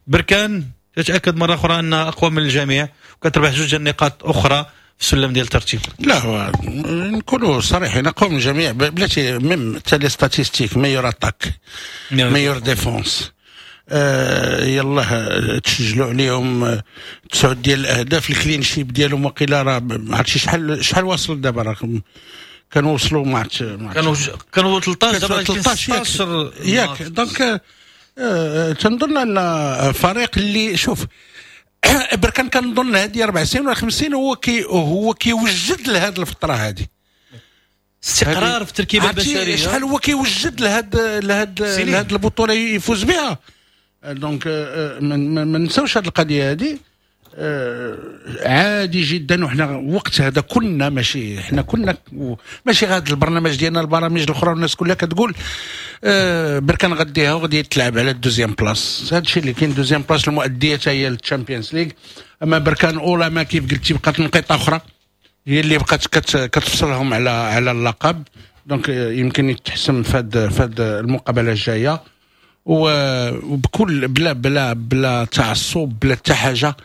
بركان تتاكد مرة اخرى انها اقوى من الجميع وكتربح جوج النقاط اخرى في السلم ديال الترتيب. لا، هو نكونوا صريحين، اقوى من الجميع بلاتي، même حتى les statistiques، meilleure attaque، meilleure défense، يلاه تسجلوا عليهم تسعود ديال الاهداف. ال clean sheet ديالهم وقيلا راه ما عرفتش شحال واصل دابا، راه كانوا وصلوا ما عرفتش. كانوا 13، دابا 16 ياك؟ donc تنظن ان فريق اللي، شوف، بركان كنظن هذه 4 سنين ولا 5 سنين هو كيوجد لهذه الفترة هذه. استقرار في التركيبة البشريه. شحال هو كيوجد لهاد البطولة يفوز بها. donc ما نساوش هذه القضية هذه. عادي جدا، وحنا وقت هذا كنا ماشي، حنا كنا ماشي غاد البرنامج ديالنا، البرامج الاخرى والناس كلها كتقول بركان غديها وغادي تلعب على ال deuxième place. هذا الشيء اللي كاين، deuxième place المؤدية هي ال Champions League. اما بركان اولا ما كيف قلتي بقات نقيطه اخرى هي اللي بقات كتفصلهم على اللقب، donc يمكن يتحسم في المقابلة الجايه. وبكل بلا تعصب بلا حتى حاجه،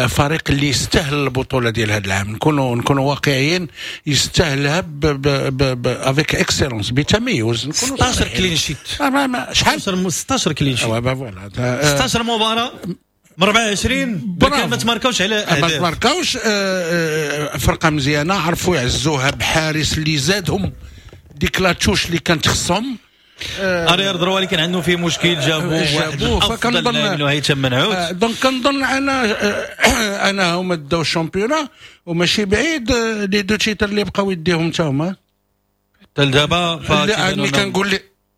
فريق اللي يستاهل البطولة ديال هذا العام، نكونوا واقعيين، يستاهلها avec excellence، بتميز. 16 clean sheet. شحال؟ 16 clean sheet. voilà. 16 مباراة من 24 بركان ما تماركاوش على ما تماركاوش. فرقه مزيانه، عرفوا يعزوها بحارس اللي زادهم ديك la touche اللي كانت خصهم. arrière droit اللي كان عنده فيه مشكل جابوه. جابوه. فكنظن هيثم منعوت. donc كنظن انا هما داو ال championnat وماشي بعيد les deux titres اللي بقاو يديهم حتى هما. حتى لدابا.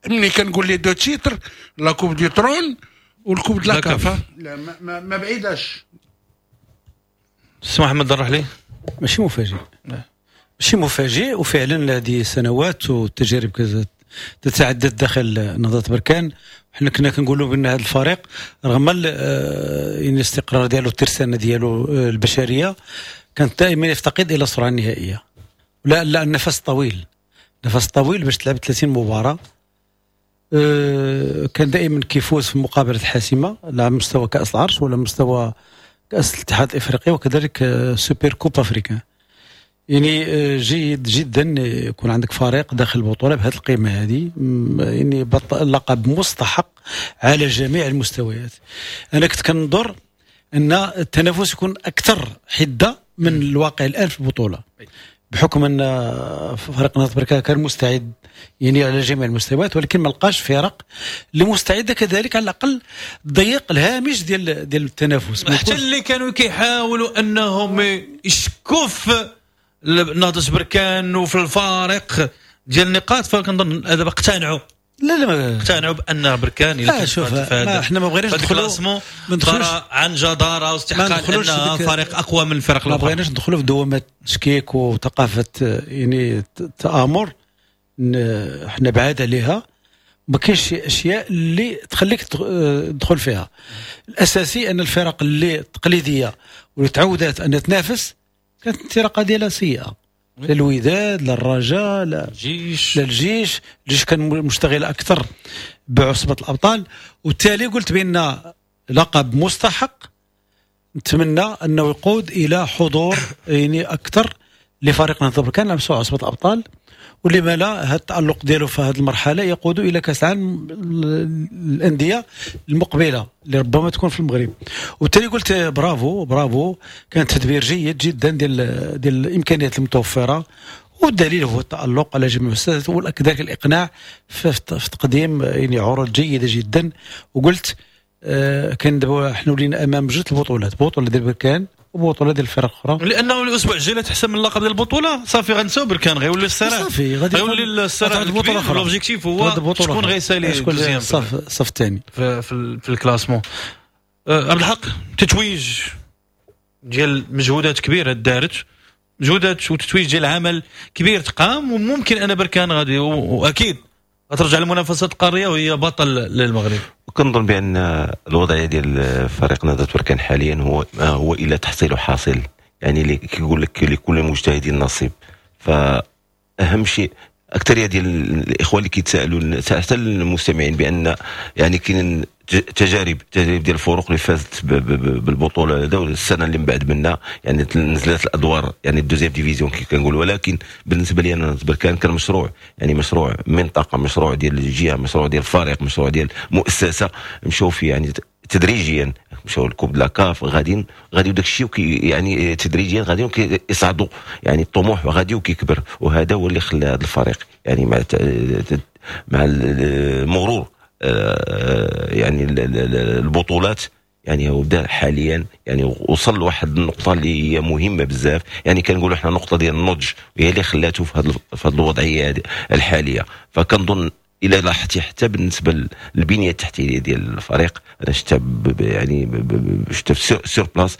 ملي كنقول les deux titres، la coupe du trône وال coupe de la CAF، لا ما بعيداش. سي محمد الرحلي. ماشي مفاجئ، ماشي مفاجئ، وفعلا هذه سنوات والتجارب تتعدد داخل نهضة بركان. حنا كنا كنقولوا بان هذا الفريق رغم يعني الاستقرار ديالو، الترسانه ديالو البشريه، كانت دائما يفتقد الى السرعة النهائيه، لا لا، النفس طويل، نفس طويل باش تلعب 30 مباراه. كان دائما كيفوز في المقابلات الحاسمه، لا على مستوى كاس العرش ولا مستوى كاس الاتحاد الافريقي وكذلك super coupe africaine. يعني جيد جدا يكون عندك فريق داخل البطولة بهذه القيمة هذه، يعني لقب مستحق على جميع المستويات. انا كنت كنظر ان التنافس يكون اكثر حده من الواقع الان في البطوله. بحكم ان فريق نهضة بركان كان مستعد يعني على جميع المستويات، ولكن ما لقاش فرق اللي مستعدة كذلك على الاقل تضيق الهامش ديال التنافس. حتى اللي كانوا كيحاولوا انهم يشكوا في نهضة بركان وفي الفارق ديال النقاط، فكنظن دابا اقتنعوا. لا لا، اقتنعوا بان بركان الا شوف احنا ما بغيناش ندخلوا، ما ندخلوش عن جداره واستحقاق انها فريق اقوى من الفرق الاخرى. ما بغيناش ندخلوا في دوامه التشكيك وثقافة يعني التآمر، احنا بعاد عليها. ما كاينش شي اشياء اللي تخليك تدخل فيها. الاساسي ان الفرق اللي التقليدية واللي تعودت ان تنافس كانت الانطلاقة ديالها سيئه، لا الوداد لا الرجاء لا الجيش. الجيش كان مشتغل اكثر بعصبه الابطال، وبالتالي قلت بان لقب مستحق، نتمنى انه يقود الى حضور يعني اكثر لفريق نهضة بركان على مستوى عصبه الابطال، ولما لا هذا التألق ديالو في هذه المرحلة يقود الى كاس العالم الاندية المقبلة اللي ربما تكون في المغرب. وبالتالي قلت برافو برافو، كان تدبير جيد جدا ديال الامكانيات المتوفرة، والدليل هو التألق على جميع المستويات وكذلك الاقناع في تقديم يعني عروض جيدة جدا. وقلت كان دابا حنا ولينا امام جوج البطولات، بطوله ديال بركان وبطولة ديال الفرق الاخرى، لانه الاسبوع الجاي تحسم اللقب ديال البطولة صافي غنساو بركان، غيولي الصراع، صافي غادي غيولي الصراع البطولة. l'objectif هو شكون غيسالي الصف الثاني في ال classement. عبد الحق، تتويج ديال مجهودات كبيرة دارت، مجهودات وتتويج ديال عمل كبير تقام، وممكن ان بركان غادي واكيد غترجع للمنافسات القارية وهي بطل للمغرب. وكنظن بان الوضعية ديال فريق نهضة بركان حاليا هو الا تحصيل حاصل، يعني اللي كيقول لك لكل مجتهد نصيب. فاهم شيء اكثرية ديال الاخوة اللي كيتسالوا حتى المستمعين بان يعني كاين تجارب ديال الفرق اللي فازت بالبطولة هذا السنة اللي من بعد منا، يعني نزلت الادوار يعني ال deuxième division كي كنقول. ولكن بالنسبة لي انا بركان كان مشروع، يعني مشروع منطقة، مشروع ديال الجهة، مشروع ديال الفريق، مشروع ديال مؤسسة، مشاو فيه يعني تدريجيا، مشاو ل coupe la CAF، غاديين وداك الشيء يعني تدريجيا غاديين كيصعدوا، يعني الطموح غادي وكيكبر، وهذا هو اللي خلى هذا الفريق يعني مع المرور يعني البطولات، يعني هو بدا حاليا يعني وصل لواحد النقطة اللي هي مهمة بزاف، يعني كنقولوا احنا نقطة ديال النضج هي اللي خلاته في هذه الوضعية الحالية. فكنظن الى لاحظتي حتى بالنسبة للبنيه التحتية ديال الفريق، انا شفتها يعني شفتها sur place،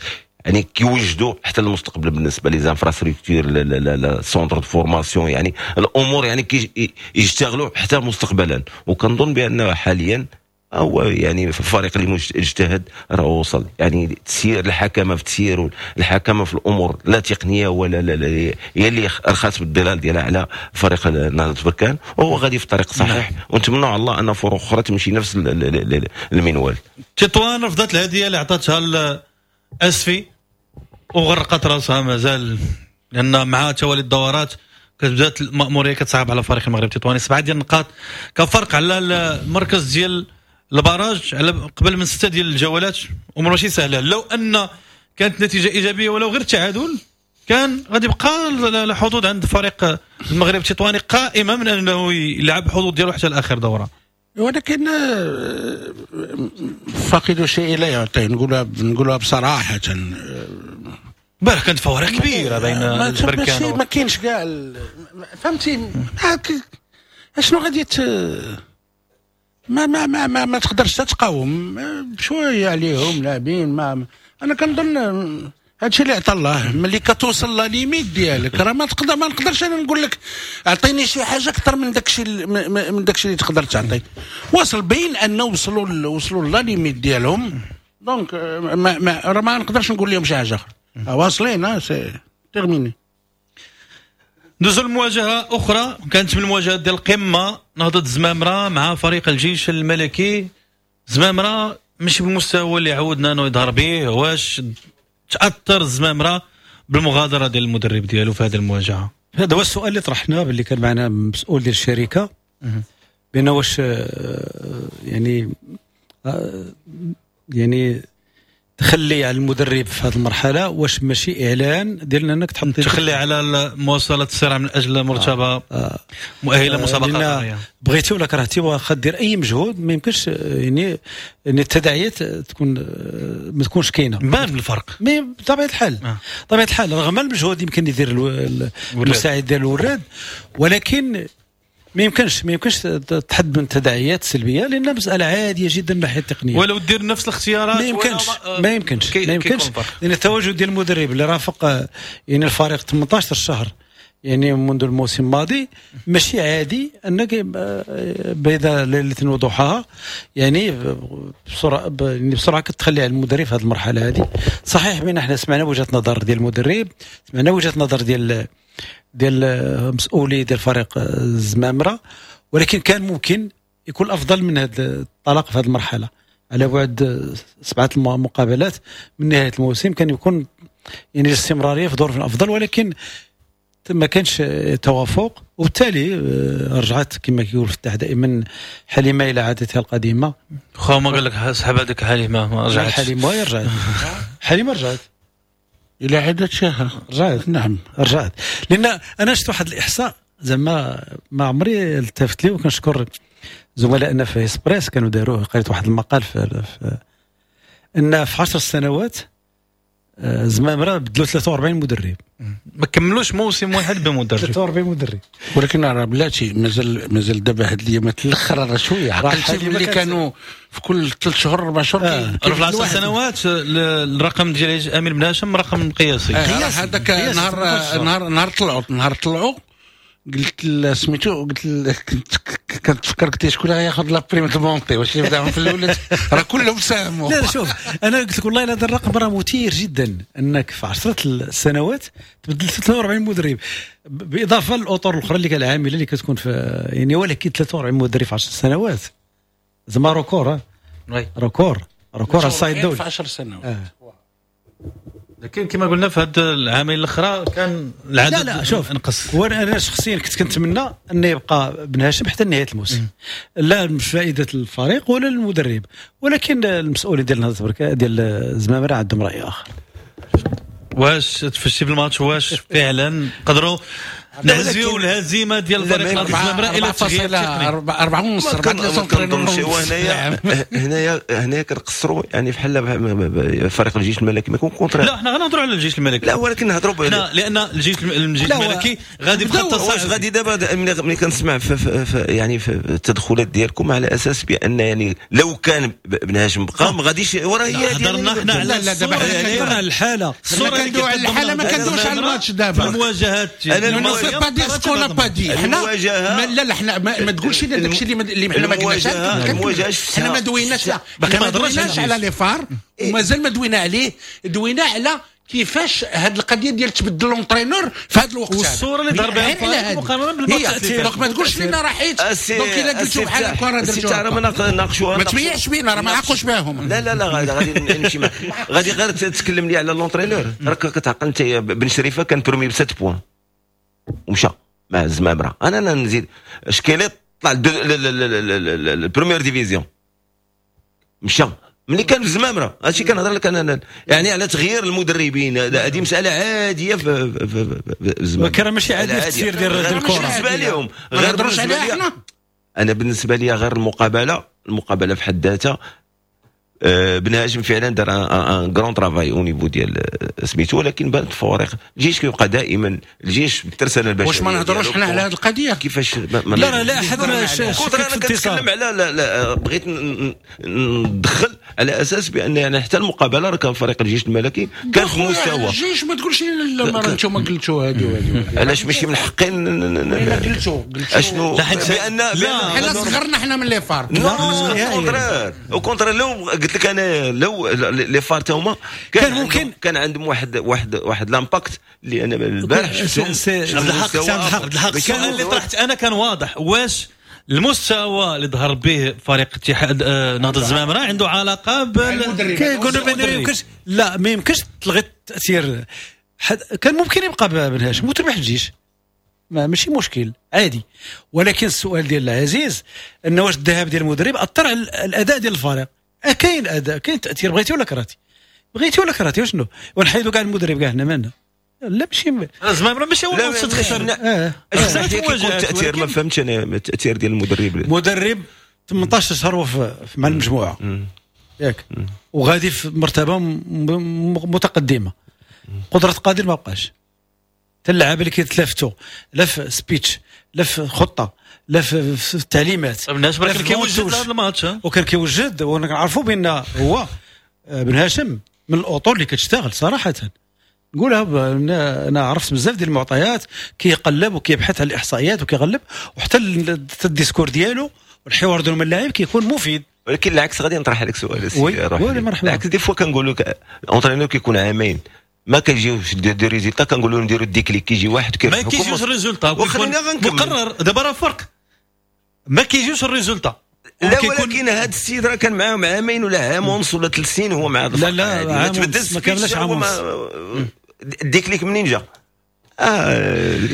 يعني كيوجدوا حتى المستقبل بالنسبة les infrastructures، les centres de formation، يعني الامور يعني كيشتغلوا حتى مستقبلا. وكنظن بان حاليا هو يعني الفريق اللي اجتهد راه وصل، يعني تسيير الحكمة في تسيير الحكمة في الامور لا تقنية ولا لا, لا هي اللي رخات بالظلال ديالها على فريق نهضة بركان، وهو غادي في الطريق الصحيح. ونتمنى على الله ان فرق اخرى تمشي نفس المنوال. تطوان رفضت الهدية اللي عطاتها اسفي وغرقت راسها مازال، لان مع توالي الدورات كتبدات المأمورية كتصعب على فريق المغرب التطواني. 7 ديال النقاط كفرق على المركز ديال ال barrage على قبل من 6 ديال الجولات، امور ماشي سهلة. لو ان كانت نتيجة ايجابية ولو غير تعادل كان غادي يبقى الحظوظ عند فريق المغرب التطواني قائمة من انه يلعب الحظوظ ديالو حتى لاخر دوره. ولكن فاقد شيء لا يعطيه، نقولها بصراحة. امبارح كانت فوارق كبيرة بين البركان، ما كاينش كاع، فهمتي اشنو غادي ما ما ما ما, ما تقدرش تقاوم بشوية عليهم لاعبين. ما انا كنظن هادشي اللي عطا الله، ملي كتوصل la limite ديالك راه ما تقدر، ما نقدرش انا نقول لك اعطيني شي حاجة اكثر من داكشي من داكشي اللي تقدر تعطي. وصل بين انه وصلوا la limite ديالهم، donc ما راه ما نقدرش نقول لهم شي حاجة اخرى، واصلين c'est terminé. ندوزو لمواجهة اخرى كانت من المواجهات ديال القمه، نهضة الزمامره مع فريق الجيش الملكي. زمامرة ماشي بالمستوى اللي عودنا انه يظهر به، واش تاثر الزمامره بالمغادره ديال المدرب ديالو في هذه المواجهة؟ هذا هو السؤال اللي طرحناه باللي كان معنا مسؤول ديال الشركة، بان واش يعني تخلي على المدرب في هذه المرحلة واش ماشي اعلان ديال انك تحط تخلي على مواصلة الصراع من اجل مرتبه مؤهلة مسابقة. بغيتي ولا كرهتي واخا دير اي مجهود ما يمكنش يعني التداعيات تكون ما تكونش كاينه. بان الفرق mais بطبيعة الحال بطبيعة الحال رغم المجهود يمكن يدير المساعد ديال الوراد، ولكن ما يمكنش تحد من التداعيات السلبية، لان مسالة عادية جدا من الناحية التقنية. ولو دير نفس الاختيارات ما يمكنش لان التواجد ديال المدرب اللي رافق يعني الفريق 18 شهر يعني منذ الموسم الماضي ماشي عادي انك بين ليلة وضحاها يعني بسرعة كتخلي على المدرب في هذه المرحلة هذه. صحيح بان احنا سمعنا وجهه نظر ديال المدرب، سمعنا وجهه نظر ديال مسؤولي ديال فريق الزمامره، ولكن كان ممكن يكون افضل من هذا الطلاق في هذه المرحلة على بعد 7 مقابلات من نهاية الموسم، كان يكون يعني الاستمرارية في ظروف افضل، ولكن ما كانش توافق، وبالتالي رجعت كما كيقول فتاح دائما حليمة الى عادتها القديمة. خو ما قال لك سحب هذيك حليمة ما رجعتش. حليمة رجعت حليمة رجعت الى عادتها، رجعت نعم رجعت. لان انا شفت واحد الاحصاء زعما ما عمري التفت ليه، وكنشكر زملائنا في هسبريس كانوا داروه، قريت واحد المقال في ان في 10 سنوات زمامرة بدلوا 43 مدرب، ما كملوش موسم واحد بمدرب 43 مدرب. ولكن راه بلاتي مازال دابا هاد الايامات الاخر راه شوية عقلتي اللي كانوا في كل 3 شهور 4 شهور في 10 سنوات. الرقم ديال امين بن هاشم رقم قياسي. هذاك نهار طلعوا قلت سميتو، قلت كنتفكر قلت شكون غياخذ la prime montée، واش يبداهم في الاول راه كلهم ساهموا. لا شوف انا قلت لك والله هذا الرقم راه مثير جدا، انك في 10 سنوات تبدل 43 مدرب باضافة للاطر الاخرى اللي كان العاملة اللي كتكون في يعني، ولكن 43 مدرب في 10 سنوات زعما record، record على الصعيد الدولي في 10 سنوات. لكن كما قلنا في هذا العامين الاخرى كان العدد لا شوف انقص. وانا شخصيا كنت كنتمنى ان يبقى بن هاشم حتى نهاية الموسم، لا لفائدة الفريق ولا المدرب، ولكن المسؤولين ديال نهضة ديال الزمامره عندهم راي اخر. واش تفشي في الماتش، واش فعلا قدروا نهزيو الهزيمة ديال الفريق نهضة الزمامره الى تغيير تقني 4.5 4 هنايا كنقصروا يعني بحال فريق الجيش الملكي ما يكون contre. لا حنا غنهضروا على الجيش الملكي، لا ولكن نهضروا لان الجيش الملكي غادي بخط الصعب. واش غادي دابا ملي كنسمع في يعني في التدخلات ديالكم على اساس بان يعني لو كان بن هاشم بقى ما غاديش وراه هي هضرنا حنا على دابا على الحالة، كندويو على الحالة ما كندويوش على الماتش دابا المواجهات. pas dire ce qu'on n'a pas dit. حنا لا حنا ما تقولش لنا داكشي اللي حنا ما قلناش. حنا ما دويناش، ما دويناش على les FAR، ومازال ما دوينا عليه. دوينا على كيفاش هاد القضية ديال تبدل l'entraîneur في هذا الوقت، والصورة اللي ضرب بها الفريق مقارنة بالماتش. donc ما تقولش لنا راه حيت donc الا قلتو بحال هكا راه درتو ناقشوها، ما تبيعش بينا راه ما عاقوش بهم. لا لا لا غادي نمشي معاك، غادي غير تتكلم لي على l'entraîneur. راك كتعقل انت بن شريفه كان premier ب 7 points ومشى مع الزمامره. انا نزيد شكيليط طلع ال première division مشى ملي كان في الزمامره. هادشي كنهضر لك انا يعني على تغيير المدربين، هذه مسالة عادية في الزمامره، ولكن راه ماشي عادية في التسيير ديال الكره بالنسبة لهم. غير بالنسبة لي انا، بالنسبة لي غير المقابلة في حد ذاتها بن هاشم فعلا دار un grand travail au niveau ديال سميتو، ولكن بانت الفوارق. الجيش كيبقى دائما الجيش بالترسانه البشرية. واش ما نهضروش حنا على هذه القضية كيفاش؟ لا لا احد انا كنتكلم على لا بغيت ندخل على اساس بان يعني حتى المقابلة راه كان فريق الجيش الملكي كان في مستوى الجيش. ما تقولش لنا انتم قلتوا هذه وهذه، علاش ماشي من حقي قلتوا اشنو؟ بان حنا صغرنا حنا من les FAR. au contraire لو قلت لك انا لو les FAR تا هما كان ممكن كان عندهم واحد واحد واحد l'impact اللي انا البارح شفتهم. عبد الحق السؤال اللي طرحت انا كان واضح، واش المستوى اللي ظهر به فريق اتحاد نهضة الزمامرة عنده علاقة بال كيقولوا ما يمكنش، لا ما يمكنش تلغي التاثير. كان ممكن يبقى بن هاشم وتربح الجيش، ما ماشي مشكل عادي. ولكن السؤال ديال العزيز انه واش الذهاب ديال المدرب اثر على الاداء ديال الفريق؟ كاين اداء، كاين تاثير، بغيتي ولا كرهتي. بغيتي ولا كرهتي وشنو؟ ونحيدوا كاع المدرب كاع هنا مالنا؟ لا ماشي زعما ماشي هو اللي تخسر. خسرت التاثير، ما فهمتش انا التاثير ديال المدرب. المدرب 18 شهر هو مع المجموعة ياك، وغادي في مرتبه متقدمة. قدره قادر ما بقاش، حتى اللعابه اللي كيتلافتوا لا في speech لا في خطه لا في التعليمات. ولكن كيوجد هذا الماتش، وكان كيوجد، وكنعرفوا بان هو بن هاشم من الاطر اللي كتشتغل صراحة، نقولها انا عرفت بزاف ديال المعطيات، كيقلب وكيبحث على الاحصائيات وكيغلب، وحتى ال discours ديالو والحوار ديالو مع اللاعب كيكون مفيد. ولكن العكس غادي نطرح عليك سؤال سي روح. العكس des fois كنقول لك entraîneur كيكون عامين ما كيجيوش des résultats، كنقولوا نديروا ال déclic، كيجي واحد ما كيجيوش ال résultat مقرر. دابا راه فرق، ما كيجيوش ال résultat. لا ولكن هذا السيد راه كان معاهم عامين ولا عام ونص ولا 3 سنين هو مع لا لا عام ونص ما كاملاش عام ونص. ال déclic منين جا؟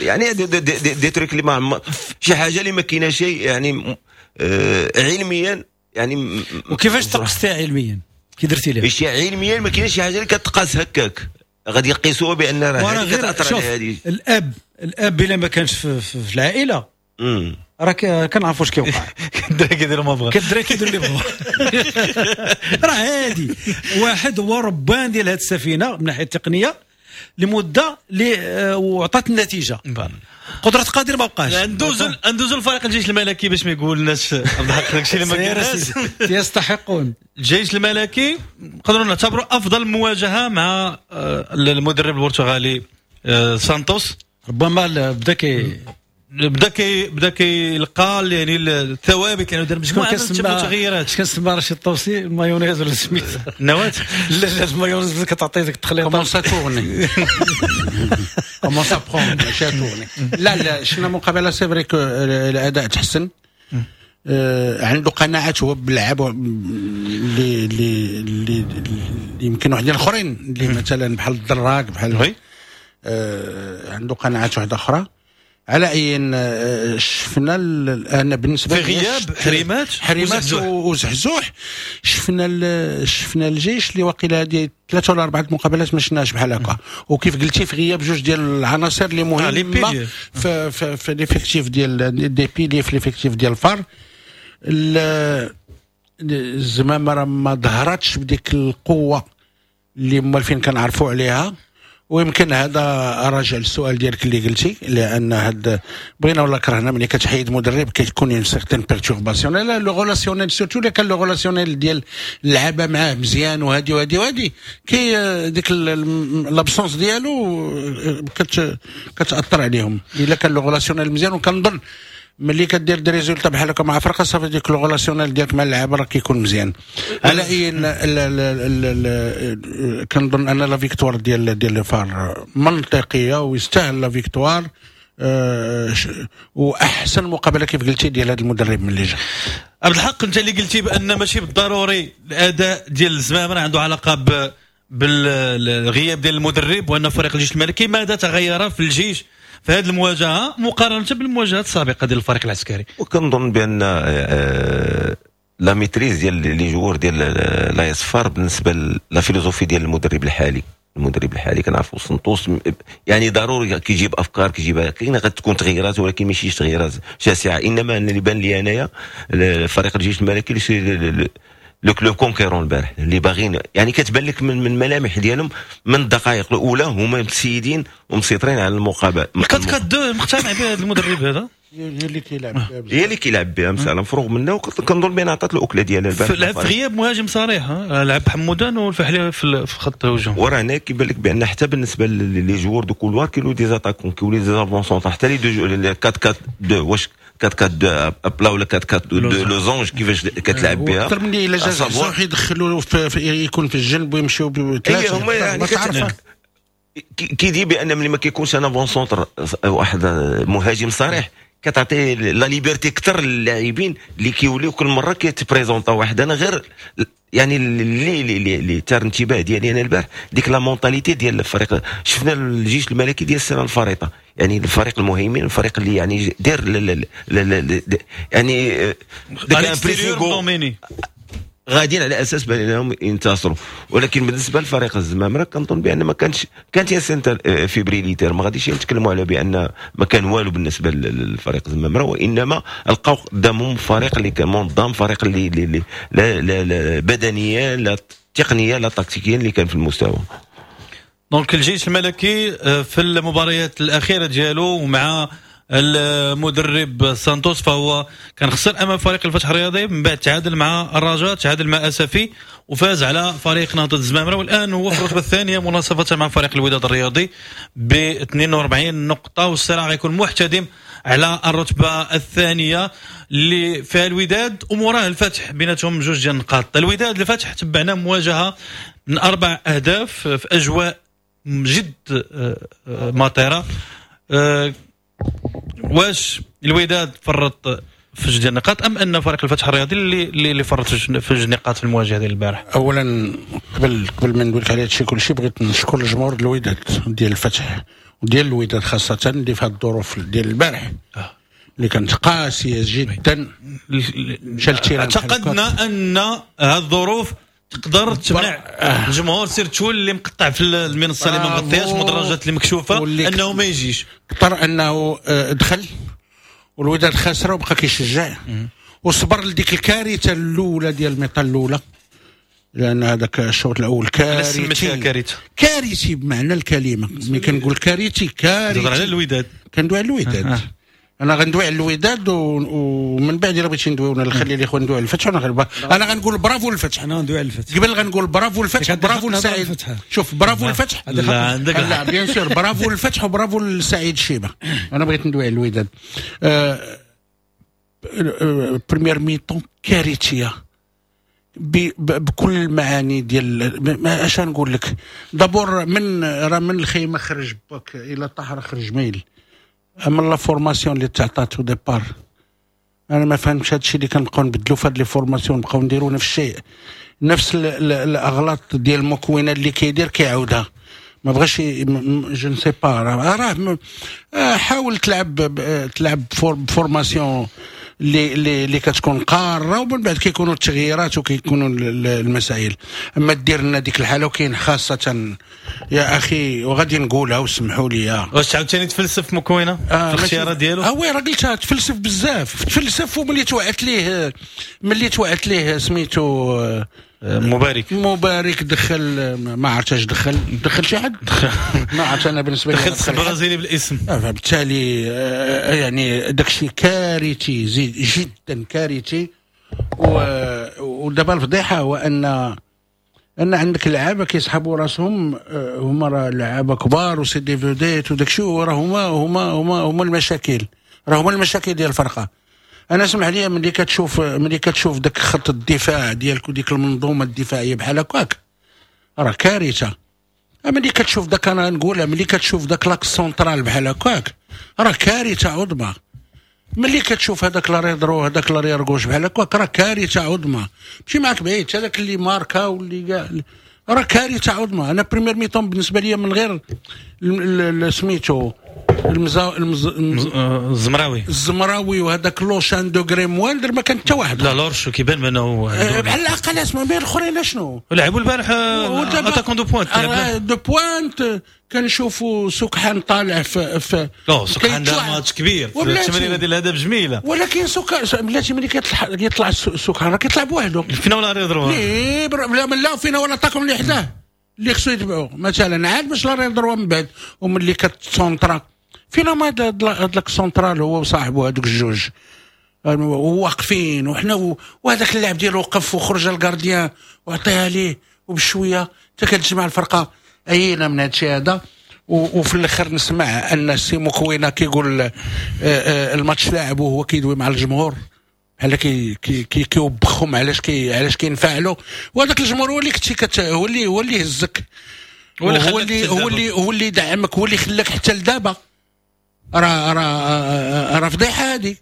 يعني des trucs اللي ما شي حاجة اللي ما كاينه شيء يعني علميا يعني. وكيفاش تقستها علميا؟ كي درتي لها؟ شي علميا ما كاينش شي حاجة اللي كتقاس هكاك، غادي يقيسوها بان راه هذه كتاثر على هذه. الاب الا ما كانش في العائلة راه كنعرفوا واش كيوقع. الدراري كيديروا ما بغا، الدراري كيديروا اللي بغا. راه عادي، واحد هو ربان ديال هذه السفينة من ناحية التقنية لمدة اللي وعطات النتيجة. قدره قادر ما بقاش. ندوزو لفريق الجيش الملكي باش ما يقولناش عبد الحق داكشي اللي ما قلناش. يستحقون الجيش الملكي، نقدروا نعتبروا افضل مواجهة مع المدرب البرتغالي سانتوس. ربما بدا كيلقى يعني الثوابت، لانه دار مجموعة من التغييرات. شكون كنسمى رشيد الطوسي المايونيز ولا سميت النواة؟ لا لا المايونيز كتعطي ديك التخليطه. comment ça tourne comment ça prend ماشي tourne. لا لا شفنا مقابله c'est vrai que الاداء تحسن، عنده قناعات هو باللعب اللي اللي يمكن واحدين اخرين اللي مثلا بحال الدراك بحال عنده قناعات واحدة اخرى. على اي شفنا انا بالنسبة في غياب حريمات وزحزوح، شفنا الجيش اللي واقيلا هذه 3 ولا 4 مقابلات ما شفناش بحال هكا. وكيف قلتي في غياب جوج ديال العناصر اللي مهمة في l'effectif ديال des piliers في l'effectif ديال الفار. الزمامه راه ما ظهرتش بديك القوة اللي مالفين كنعرفوا عليها، ويمكن هذا راجع للسؤال ديالك اللي قلتي، لان هاد بغينا ولا كرهنا ملي كتحيد مدرب كتكون une certaine perturbation لا le relationnel، surtout الا كان le relationnel ديال اللعابه معاه مزيان وهادي وهادي وهادي، كي ديك l'absence ديالو كتاثر عليهم. الا كان le relationnel مزيان، وكنظن ملي كدير des résultats بحال هكا مع فرقه صافي ديك le relationnel ديالك مع اللعابه راه كيكون مزيان. على اي كنظن ان la victoire ديال الفار منطقية ويستاهل la victoire، واحسن مقابله كيف قلتي ديال هذا المدرب من اللي جا. عبد الحق، انت اللي قلتي بان ماشي بالضروري الاداء ديال الزمامره عنده علاقة بالغياب ديال المدرب، وان فريق الجيش الملكي ماذا تغير في الجيش في هذه المواجهة مقارنة بالمواجهات السابقة ديال الفريق العسكري؟ وكنظن بان la maîtrise ديال les joueurs ديال l'AS FAR بالنسبة la philosophie ديال المدرب الحالي. المدرب الحالي كنعرفوا سنتوس يعني ضروري كيجيب افكار، كيجيب كاين غتكون تغييرات ولكن ماشي تغييرات شاسعه. انما اللي بان لي انايا فريق الجيش الملكي le club conquérant البارح اللي باغيين يعني كتبان لك من الملامح ديالهم من الدقائق الاولى هما مسيدين ومسيطرين على المقابلة. 4-4-2 مقتنع بها هذا المدرب هذا، هي اللي كيلعب بها، هي اللي كيلعب بها مسالة مفروغ منها. وكنظن بان عطات الاكلة ديالها البارح. لعب في غياب مهاجم صريح، لعب حمودان والفحلي في خط الهجوم. وراه هنا كيبان لك بان حتى بالنسبة les joueurs de couloir كيولوا des attaquants، كيولوا des avants-centres، حتى les deux 4-4-2 واش 4-4-2 à plat ولا 4-4-2 losange كيفاش كتلعب بها اكثر من الا جا صح يدخلوا يكون في الجنب ويمشيو بثلاثة. هما يعني كيدي بان ملي ما كيكونش un avant-centre واحد مهاجم صريح كتعطي la liberté اكثر للاعبين اللي كيوليو كل مرة كيتبريزونطا واحد. انا غير يعني اللي ثار انتباه ديالي انا البارح ديك la mentalité ديال الفريق. شفنا الجيش الملكي ديال السنة الفارطه، يعني الفريق المهيمن، الفريق اللي يعني دير يعني داك un pressing dominé. غاديين على اساس بانهم ينتصروا. ولكن بالنسبة لفريق الزمامره كنظن بان ما كانش، كانت certaine fébrilité، ما غاديش نتكلموا على بان ما كان والو بالنسبة للفريق الزمامره، وانما لقاو قدامهم فريق اللي كان منظم، فريق اللي لا لا لا بدنيا لا تقنيا لا تكتيكيا اللي كان في المستوى. donc الجيش الملكي في المباريات الاخيرة ديالو ومع المدرب سانتوس فهو كان خسر امام فريق الفتح الرياضي، من بعد تعادل مع الرجاء، تعادل مع اسفي، وفاز على فريق نهضة الزمامره، والان هو في الرتبة الثانية مناصفه مع فريق الوداد الرياضي ب 42 نقطة، والصراع غيكون محتدم على الرتبة الثانية اللي فيها الوداد وموراه الفتح، بيناتهم جوج ديال النقاط. الوداد الفتح تبعنا مواجهة من 4 اهداف في اجواء جد مطيره. واش الوداد فرط في جوج ديال النقاط ام ان فريق الفتح الرياضي اللي فرط في جوج نقاط في المواجهة ديال البارح؟ اولا قبل ما نقول لك على هادشي كلشي، بغيت نشكر الجمهور الوداد ديال الفتح وديال الوداد خاصة اللي في هاد الظروف ديال البارح اللي كانت قاسية جدا. اعتقدنا ان هاد الظروف تقدر تمنع الجمهور surtout اللي مقطع في المنصة اللي ما مغطياش، المدرجات اللي مكشوفة، انه ما يجيش. اضطر انه دخل والوداد خسره وبقى كيشجع وصبر لديك الكارثة الاولى ديال ال mi-temps الاولى، لان هذاك الشوط الاول كارثي، كارثي بمعنى الكلمة. ملي كنقول كارثي كارثي على الوداد، كندوي على الوداد. انا غندوي على الوداد ومن بعد الا بغيتي ندويو نخلي الاخوان ندويو على الفتح. انا غنقول برافو للفتح، انا غندوي على الفتح قبل، غنقول برافو للفتح، برافو لسعيد. شوف برافو للفتح، لا عندك لا bien sûr، برافو للفتح وبرافو لسعيد الشيبة. انا بغيت ندوي على الوداد. première mi-temps كارثية بكل المعاني ديال اش نقول لك. d'abord من راه من الخيمة خرج باك الى طهر خرج ميل. اما la formation اللي تعطات au départ انا ما فهمتش هادشي اللي كنبقاو نبدلو في هاد les formations، نبقاو نديرو نفس الشيء، نفس الاغلاط ديال المكونة اللي كيدير كيعاودها. ما بغاش je ne sais pas، راه حاول تلعب formation اللي كتكون قارة، ومن بعد كيكونوا التغييرات وكيكونوا المسائل. اما دير لنا ديك الحالة، وكاين خاصة يا اخي وغادي نقولها وسمحوا لي، واش عاوتاني تفلسف مكونة في الاختيارات ديالو؟ oui راه قلتها، تفلسف بزاف، تفلسف. وملي توعت ليه سميتو مبارك دخل، ما عرفتش اش دخل شي حد، ما عرفت انا بالنسبة لي دخل البرازيلي بالاسم. فبالتالي يعني داكشي كارثي جدا كارثي. ودابا الفضيحة هو ان عندك لعابه كيسحبوا راسهم، هما راه لعابه كبار و c'est des vedettes وداكشي، وراه هما هما هما هما المشاكل، راه هما المشاكل ديال الفرقة. انا سمح لي، ملي كتشوف داك خط الدفاع ديالك وديك المنظومة الدفاعية بحال هكاك راه كارثة. ملي كتشوف داك، انا نقولها، ملي كتشوف داك l'axe central بحال هكاك راه كارثة عظمى. ملي كتشوف هذاك l'arrière droit هذاك l'arrière gauche بحال هكاك راه كارثة عظمى. ماشي معاك بعيد، هذاك اللي ماركا واللي كاع راه كارثة عظمى. انا première mi-temps بالنسبة لي من غير سميتو الزمراوي وهذاك لوشان degré moindre ما كان حتى واحد. لا لورشو كيبان بانه بحال الاقل اسمه بين الاخرين شنو لعبوا البارح attaquant de pointe، de pointe. كنشوفوا سكحان طالع في سكحان دار ماتش كبير في التمريره ديال الهدف جميلة، ولكن سكحان بلاتي ملي كيطلع سكحان راه كيطلع بوحدو فينا ولا arrière droit، لا فينا ولا attaquant اللي حداه اللي خصو يتبعو مثلا، عاد باش l'arrière droit من بعد. وملي كتسونطرا فينا ما هاد l'axe central هو وصاحبه هذوك الجوج واقفين، وحنا وهذاك اللاعب ديالو وقف وخرج ال gardien وعطيها ليه وبشويه حتى كتجمع الفرقة. عينا من هادشي هذا. وفي الاخر نسمع ان السي مكوينه كيقول الماتش لاعب وهو كيدوي مع الجمهور بحال كيوبخهم علاش علاش كينفعلوا، وهذاك الجمهور هو اللي كنتي هو اللي هزك، هو اللي دعمك، هو اللي خلاك حتى لدابا. راه راه راه فضيحة هذه،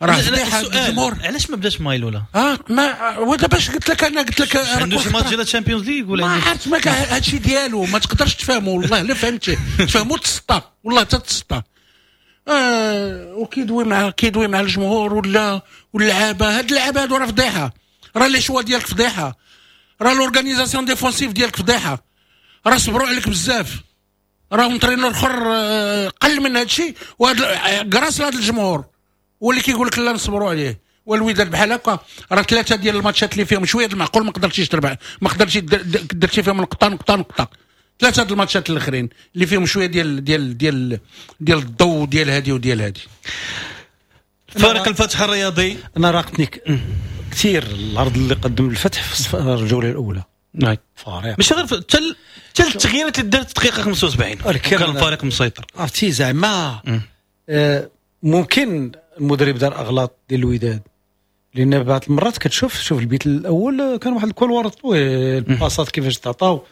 راه فضيحة الجمهور. علاش ما بداش مايلولا؟ ما ودابا باش قلت لك، انا قلت لك عنده شي ماتش ديال الشامبيونز ليغ ولا ما عرفت، ما هادشي ديالو ما تقدرش تفهمو والله لا فهمتي تفهمو تسطى والله تتسطى. وكيدوي مع الجمهور ولا واللعابه. هاد اللعابه هادو راه فضيحة. راه les choix ديالك فضيحة، راه l'organisation défensive ديالك فضيحة، راه صبروا عليك بزاف، راه entraîneur اخر قل من هذا الشيء، وهذا grâce لهذا الجمهور هو اللي كيقول لك لا نصبروا عليه. والوداد بحال هكا راه 3 ديال الماتشات اللي فيهم شوية المعقول ما قدرتيش تربح، ما قدرتيش درتي فيهم نقطة نقطة نقطة. 3 ديال الماتشات الاخرين اللي فيهم شوية ديال ديال ديال ديال الضوء ديال هادي وديال هادي. فريق الفتح الرياضي انا راقتني كثير العرض اللي قدم الفتح في الجولة الاولى. نعم فريق ماشي غير حتى التغييرات اللي دارت الدقيقة 75 كان الفريق مسيطر. عرفتي زعما ممكن المدرب دار اغلاط ديال الوداد، لان بعض المرات كتشوف شوف البيت الاول كان واحد ال couloir طويل، الباصات كيفاش تعطاو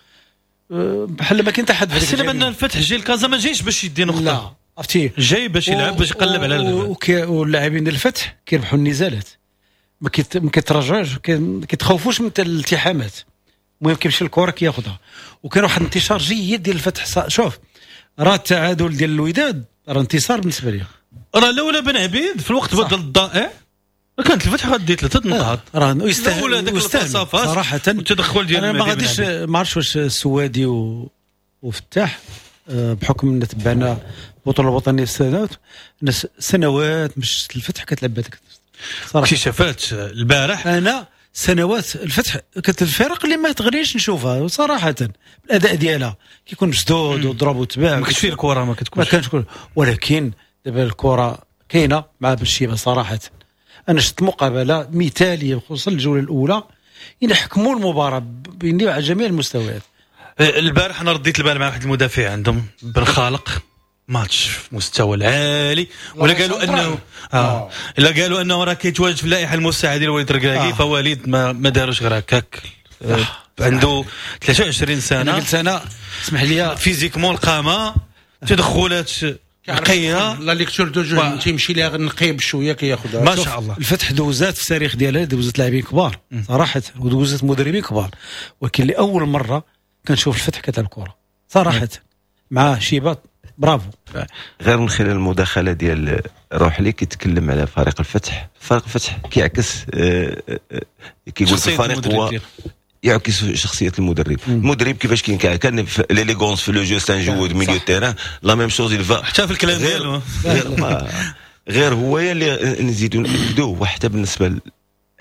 بحال ما كاين حتى حد. حسينا بان الفتح جاي الكازا ما جايش باش يدي نقطة، لا عرفتي جاي باش يلعب باش يقلب على واللاعبين ديال الفتح كيربحوا النزالات، ما كيتراجعوش، كيتخوفوش من الالتحامات، المهم كيمشي الكره كياخذها. وكان واحد الانتشار جيد ديال الفتح. شوف راه التعادل ديال الوداد راه انتصار بالنسبة لي، راه لولا بن عبيد في الوقت بدل الضائع كانت الفتح غادي 3 نقاط، راه يستاهل صراحة. والتدخل ديال انا ما غاديش ما عرفتش واش السوادي وفتاح بحكم ان تبعنا البطولة الوطنية سنوات مش الفتح كتلعب بهذاك صراحة. اكتشافات البارح انا سنوات الفتح كانت الفرق اللي ما تغريش نشوفها صراحة، الاداء ديالها كيكون مسدود وضرب وتباع، ما كتش فيه الكره، ما كتكونش ما كانش. ولكن دابا الكره كاينه مع بالشيبه صراحة. انا شفت مقابله مثاليه خصوصا الجولة الاولى، يحكموا المباراة على جميع المستويات. البارح انا رديت البال مع واحد المدافع عندهم بن خالق، ماتش في مستوى العالي، ولا قالوا انه الا قالوا انه راه كيتواجد في اللائحة المساعدة ديال وليد الركراكي، فوليد ما داروش غير هكاك. عنده 23 سنة. انا قلت انا اسمح لي physiquement القامة، تدخلات نقية، la lecture de jeu تيمشي ليها نقية بشوية كياخذها ما شاء الله. الفتح دوزات في التاريخ ديالها، دوزات لاعبين كبار صراحة ودوزات مدربين كبار، ولكن لاول مرة كنشوف الفتح كتلعب كره صراحة مع شيبات. برافو. غير من خلال المداخلة ديال روحلي كيتكلم على فريق الفتح، فريق الفتح كيعكس كيقول الفريق هو يعكس شخصية المدرب. المدرب كيفاش كان l'élégance في le jeu، c'est un joueur milieu terrain، la même chose il va حتى في الكلام ديالو غير هو اللي نزيدو ناكدوه. وحتى بالنسبة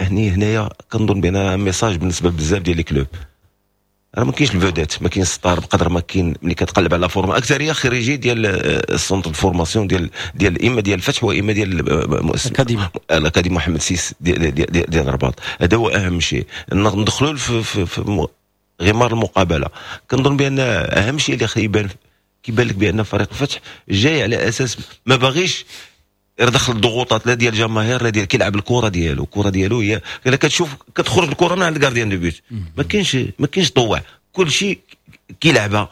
هنايا كنظن بان message بالنسبة بزاف ديال les clubs، راه ما كاينش ال vedette، ما كاينش star بقدر ما كاين ملي كتقلب على forme اكثرية خريجي ديال ال centre de formation ديال اما ديال الفتح واما ديال الاكاديمي محمد six ديال ديال الرباط. هذا هو اهم شيء، ندخلوا في غمار المقابلة. كنظن بان اهم شيء اللي يبان كيبان لك بان فريق الفتح جاي على اساس ما باغيش يدخل الضغوطات لا ديال الجماهير لا ديال، كيلعب الكره ديالو، الكره ديالو هي الا كتشوف كتخرج الكره من عند ال gardien de but، ما كاينش طوع، كل شيء كيلعبها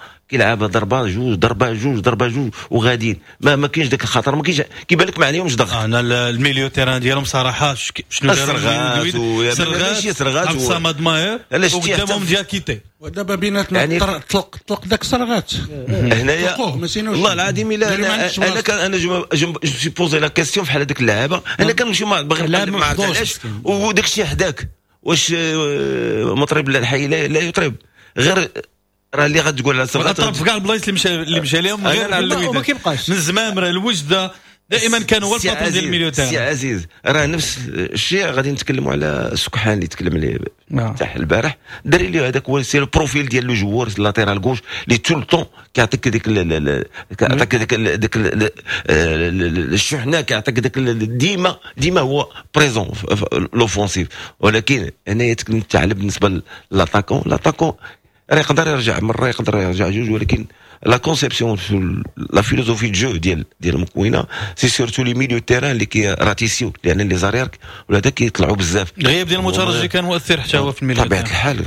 ضربه جوج ضربه جوج ضربه جوج وغاديين، ما كاينش داك الخطر، ما كاينش كيبان لك ما عليهمش ضغط. انا ال milieu terrain ديالهم صراحة شنو داروا سرغات عبد الصمد ماهر وقدامهم دياكيتي، ودابا بيناتنا يعني طلق داك سرغات هنايا والله العظيم الا انا كان انا je suis posé la question فحال هذوك اللعابه، انا كنمشي باغي نقلب ما عرفت علاش وداك الشيء حداك، واش مطرب الحي لا يطرب غير راه اللي غتقول على سرغات طرب في كاع البلايص اللي مشى لهم غير ما كيبقاش من الزمامره الوجده دائما كان هو ال patron ديال ال milieu terrain. سي عزيز راه نفس الشيء غادي نتكلموا على سكحان اللي تكلم عليه تاع البارح، الدري اللي هذاك هو c'est ال profil ديال le joueur latéral gauche اللي tout le temps كيعطيك ديك كيعطيك ديك الشحنة، كيعطيك ديك ديما ديما هو présent l'offensive. ولكن هنايا تكلمت على بالنسبة l'attaquant، l'attaquant راه يقدر يرجع مرة يقدر يرجع جوج، ولكن la conception la philosophie de jeu ديال المكوينه c'est surtout les milieux terrain اللي كيراتيسيو، لان les arrières ولا هذا كيطلعوا بزاف. الغياب ديال المترجي كان مؤثر حتى هو في ال milieu بطبيعة الحال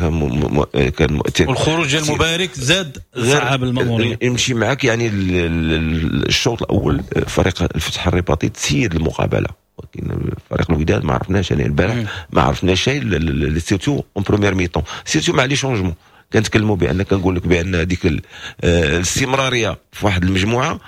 كان مؤثر، والخروج ديال المبارك زاد صعب الماموريه. يمشي معاك يعني الشوط الاول فريق الفتح الرباطي تسيد المقابلة، ولكن فريق الوداد ما عرفناش يعني البارح ما عرفناش شيء، surtout en première mi-temps، surtout مع les changements. كنتكلموا بان كنقول لك بان هذيك الاستمرارية في واحد المجموعة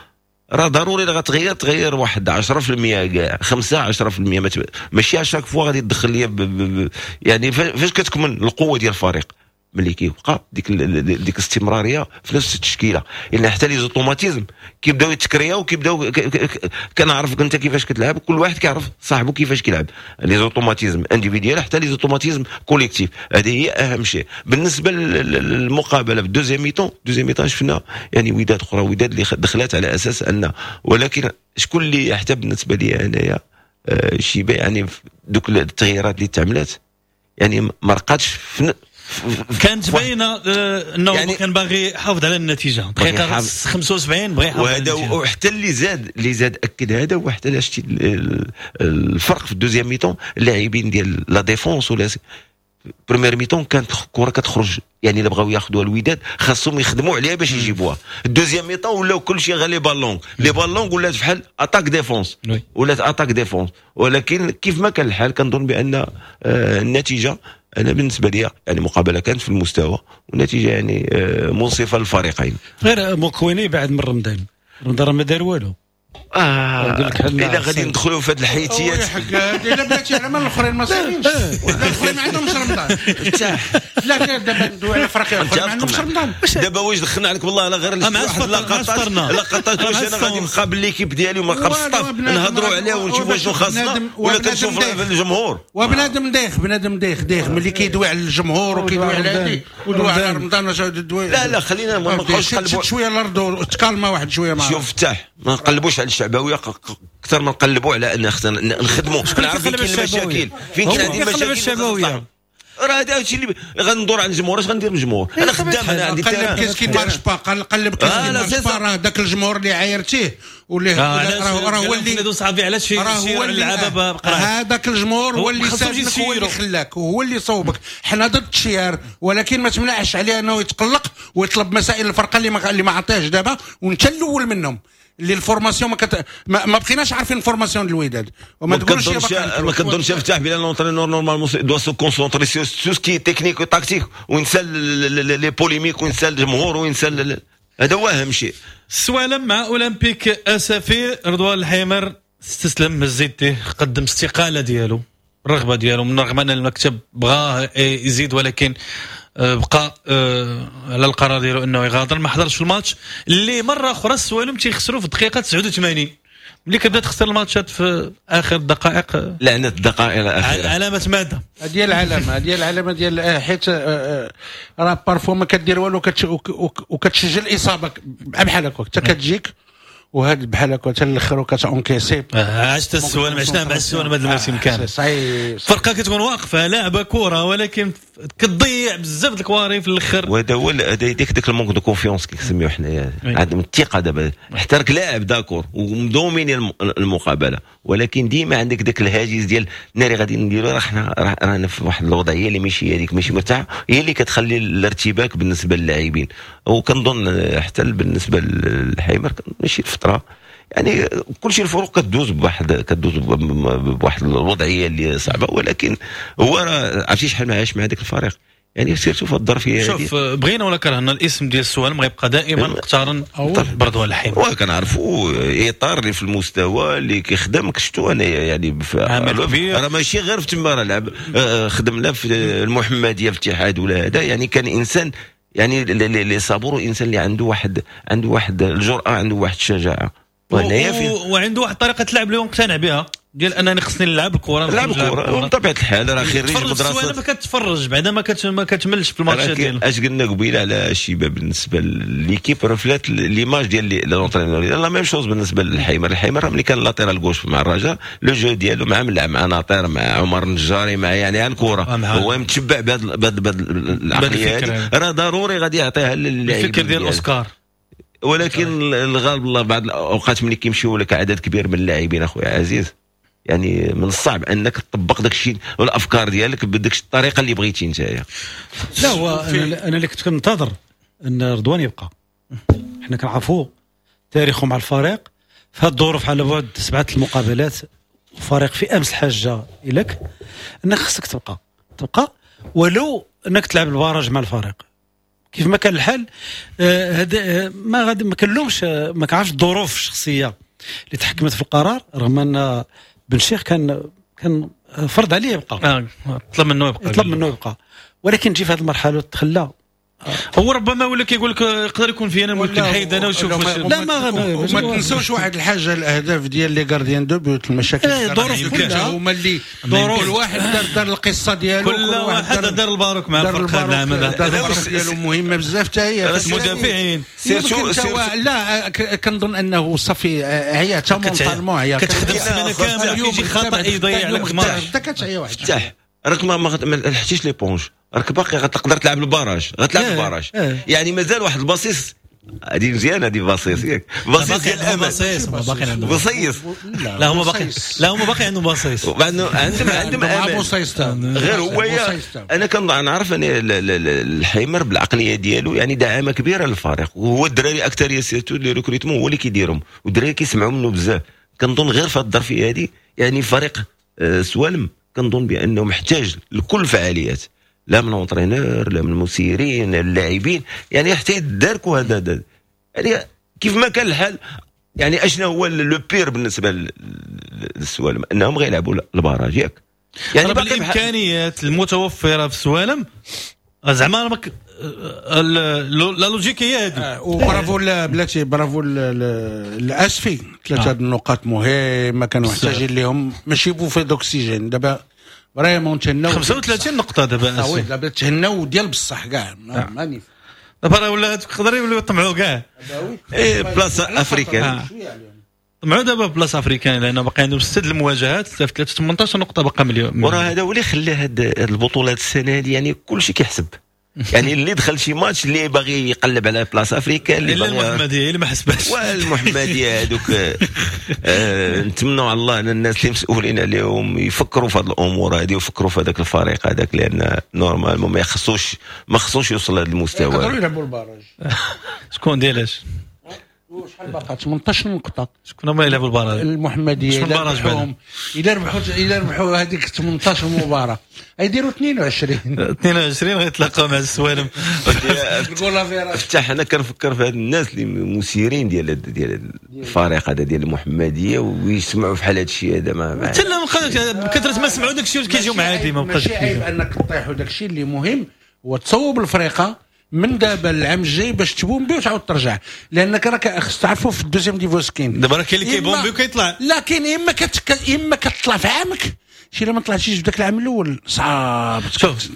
راه ضروري الا غتغير تغير واحد 10% كاع، 5 10%، ماشي à chaque fois غادي تدخل ليا. يعني فاش كتكمن القوة ديال الفريق ملي كيبقى ديك الاستمرارية في نفس التشكيله، لان حتى les automatismes كيبداو يتكرياو وكيبداو كنعرفك انت كيفاش كتلعب، كل واحد كيعرف صاحبه كيفاش كيلعب، les automatismes individuels حتى les automatismes collectifs، هذه هي اهم شيء. بالنسبة للمقابله في ال deuxième mi-temps، deuxième mi-temps شفنا يعني وداد اخرى، وداد اللي دخلت على اساس ان، ولكن شكون اللي حتى بالنسبة لي انايا شيبة يعني دوك التغييرات اللي تعملات يعني ما رقاتش في كانت باينة انه يعني كان باغي يحافظ على النتيجة دقيقة 75 بغى يحافظ على النتيجة، وحتى اللي زاد اكد هذا، وحتى شتي الفرق في ال deuxième mi-temps اللاعبين ديال la défense ولا première mi-temps كانت الكره كتخرج، يعني الا بغاو ياخذوها الوداد خاصهم يخدموا عليها باش يجيبوها. ال deuxième mi-temps ولاو كلشي غير les ballons longs، les ballons longs ولات بحال attaque défense، ولات attaque défense. ولكن كيف ما كان الحال كنظن بان النتيجة انا بالنسبة لي يعني مقابله كانت في المستوى، والنتيجة يعني منصفة للفريقين. غير موكويني بعد من رمضان، رمضان ما دار والو. الا غادي ندخلوا في هذه الحيتيات الا بلاتي على مال الاخرين ما صايرينش، الاخرين ما عندهمش رمضان. لا دابا ندوي على افريقيا، الاخرين ما عندهمش رمضان. دابا واش دخلنا عليك والله لا غير واحد لقطات واش انا غادي نقابل l'équipe ديالي وما نقابل staff نهضروا عليها ونشوفوا شنو خاصنا، ولا كنشوف الجمهور. وبنادم دايخ، بنادم دايخ دايخ ملي كيدوي على الجمهور وكيدوي على هادي ودوي على رمضان. لا لا خلينا ما نبقاوش نقلبوا شوية الارض وتكالما واحد شوية. شوف فتح ما نقلبوش على الشعبوية اكثر ما نقلبوا على ان خصنا نخدموا، نعرف فين كاين المشاكل، فين كاين عندي المشاكل الشعبوية. راه هذا الشيء اللي غندور على الجمهور، اش غندير بالجمهور؟ انا خدام، انا عندي قلب qu'est-ce qui marche pas، قلب qu'est-ce qui marche pas. راه ذاك الجمهور اللي عايرتيه واللي راه هو اللي صافي علاش هو اللي هذاك الجمهور هو اللي ساعدك، هو اللي خلاك وهو اللي صوبك. حنا ضد التشيار، ولكن ما تمنعش عليه انه يتقلق ويطلب مسائل الفرقة اللي ما عطيهش دابا، وانت الاول منهم اللي ال formation ما بقيناش عارفين ال formation الوداد. وما تقولش ما كنظنش فتح بلا l'entraîneur normalement doit se concentrer sur ce qui est technique و tactique، وينسى les polémiques وينسى الجمهور وينسى، هذا هو اهم شيء. السوالم مع اولمبيك اسفي، رضوان الحيمر استسلم هزيتيه، قدم استقالة ديالو، الرغبة ديالو، من رغم ان المكتب بغاة يزيد ولكن بقى على القرار ديالو انه يغادر. ما حضرش في الماتش اللي مرة اخرى السوالم تيخسروا في الدقيقة 89، ملي كتبدا تخسر الماتشات في اخر الدقائق، لعنه الدقائق الاخيرة، علامة ماذا؟ هذه العلامة، هذه العلامة ديال حيت راه parfois ما كدير والو وكتسجل اصابه بحال هكا حتى كتجيك وهاد بحال هكا حتى الاخر وكت encaisser. عشت السوالم، عشنا مع السوالم هذا الموسم كامل. فرقه كتكون واقفة لاعبه كره ولكن كتضيع بزاف د الكواري في الاخر، وهذا هو ديك ال manque de confiance كيسميو حنايا، عدم الثقة. دابا حتى راك لاعب d'accord ومدوميني المقابلة، ولكن ديما عندك داك الهاجس ديال ناري غادي نديرو، راه حنا رانا في واحد الوضعية اللي ماشي هذيك، ماشي مرتاحة، هي اللي كتخلي الارتباك بالنسبة للاعبين. وكنظن حتى بالنسبة للحيمر ماشي الفترة، يعني كل شيء الفروق كدوز بواحد الوضعية اللي صعبة، ولكن هو راه عرفتي شحال ما عاش مع هذاك الفريق، يعني surtout في الظرفية. شوف بغينا ولا كرهنا الاسم ديال السوالم غيبقى دائما مقترن برضوان الحيمر، وكنعرفوا اطار اللي في المستوى اللي كيخدم. شفتو انا يعني راه ماشي غير في تما، راه لعب خدم لا في المحمدية في الاتحاد ولا هذا، يعني كان انسان يعني اللي صبور، انسان اللي عنده واحد الجرأة، عنده واحد الشجاعة، وعنده واحد طريقه لعب اللي هو مقتنع بها، ديال انني خصني نلعب الكره، نلعب الكره. وبطبيعة الحال راه خريج مدرسه، ما كتفرج بعدا ما كتملش في الماتشات ديالو. اش قلنا قبيلة على الشباب بالنسبة l'équipe reflète l'image ديال l'entraîneur، la même chose بالنسبة للحيمر. الحيمر ملي كان latéral gauche مع الرجاء le jeu ديالو مع ملعب مع ناطير مع عمر النجاري مع يعني الكره، هو متشبع بهذا العقلية هذه، راه ضروري غادي يعطيها للاعبين الفكر ديال اوسكار. ولكن الغالب الله بعض الاوقات ملي كيمشيو لك عدد كبير من اللاعبين اخويا عزيز، يعني من الصعب انك تطبق داك الشيء والافكار ديالك بديك الطريقة اللي بغيتي نتايا. لا هو انا اللي كنت كنتظر ان رضوان يبقى، حنا كنعرفوا تاريخه مع الفريق في هذه الظروف، على بعد 7 المقابلات وفريق في امس الحاجة اليك، انك خصك تبقى ولو انك تلعب ال barrage مع الفريق. كيف ما كان الحال هذا ما غادي ما كنلومش، ما كنعرفش الظروف الشخصية اللي تحكمت في القرار، رغم ان بن شيخ كان فرض عليه يبقى، طلب منه يبقى، طلب منه يبقى، ولكن تجي في هذه المرحلة وتخلى. هو ربما ولا كيقول لك يقدر يكون في انا ممكن نحيد انا وشوف. لا ما تنساوش واحد الحاجة، الاهداف ديال les gardiens de but، المشاكل الظروف كلها هما اللي كل واحد دار القصة ديالو، كل واحد دار الباروك مع الفرقة العام هذا ديالو مهمة بزاف حتى هي المدافعين. لا كنظن انه صافي عيا حتى mentalement، عيا كتخدم السيمانة كاملة كيجي خطا يضيع لك ماتش حتى كتعيا واحد. راك ما لحقتيش l'éponge، راك باقي غتقدر تلعب ال barrage، غتلعب ال barrage يعني مازال واحد البصيص. هذه مزيان، هذه بصيص ياك، بصيص ديال الامل، بصيص باقي عندهم بصيص. لا هما باقي، لا هما باقي عندهم بصيص، عندهم امل. غير هو انا كنعرف ان الحيمر بالعقليه ديالو يعني دعامة كبيرة للفريق، وهو الدراري اكثر surtout les recrutements هو اللي كيديرهم، والدراري كيسمعوا منه بزاف. كنظن غير في هذه الظرفية هذه يعني فريق سوالم كنظن بانه محتاج لكل الفعاليات، لا من l'entraîneur لا من المسيرين اللاعبين، يعني حتى يداركوا هذا. يعني كيف ما كان الحال، يعني اشنا هو le pire بالنسبة للسوالم انهم غيلعبوا ال barrage ياك. يعني بالامكانيات المتوفرة في السوالم زعما la logique هي هذه. وبرافو بلاتي، برافو الاسفي، ثلاثة النقاط مهمة كانوا محتاجين لهم، ماشي bouffée d'oxygène. دابا vraiment تهناو 35 نقطة دابا oui، دابا تهناو ديال بصح كاع ماني دابا راه ولا تقدر يوليو يطمعوا كاع اي place africaine، طمعوا دابا place africaine لان باقي عندهم 6 المواجهات، 3 18 نقطة باقا مليون. وراه هذا هو اللي خلى هاد البطولات السنة هذه يعني كلشي كيحسب، يعني اللي دخل شي ماتش اللي باغي يقلب على place africaine، اللي المحمدية اللي ما حسبهاش، والمحمديه هذوك نتمنوا على الله ان الناس اللي مسؤولين عليهم يفكروا في هذه الامور هذه ويفكروا في هذاك الفريق هذاك، لان normalement ما خصوش يوصل لهذا المستوى. يقدروا يلعبوا ال barrage. شكون ديالاش؟ شحال باقا 18 نقطة. شكون هما يلعبوا ال barrage؟ المحمدية إلا ربحوا هذيك 18 مباراة يديروا 22 غيتلاقاو مع السوالم. افتح، انا كنفكر في هاد الناس اللي مسيرين ديال الفريق هذا ديال المحمدية ويسمعوا في حال هذا الشيء هذا، ما حتى لا بكثرة ما سمعوا داك الشيء كيجيو عادي، ما بقاش ماشي عيب انك تطيحوا داك الشيء. اللي مهم هو تصوب الفريقه من دابا العام الجاي باش تبومبي وتعاود ترجع، لانك راك خص تعرفوا في ال deuxième division كاين دابا راه كاين اللي كيبومبي وكيطلع، لا كاين اما كتطلع في عامك شي، الا ما طلعتيش في ذاك العام الاول صعاب. شوف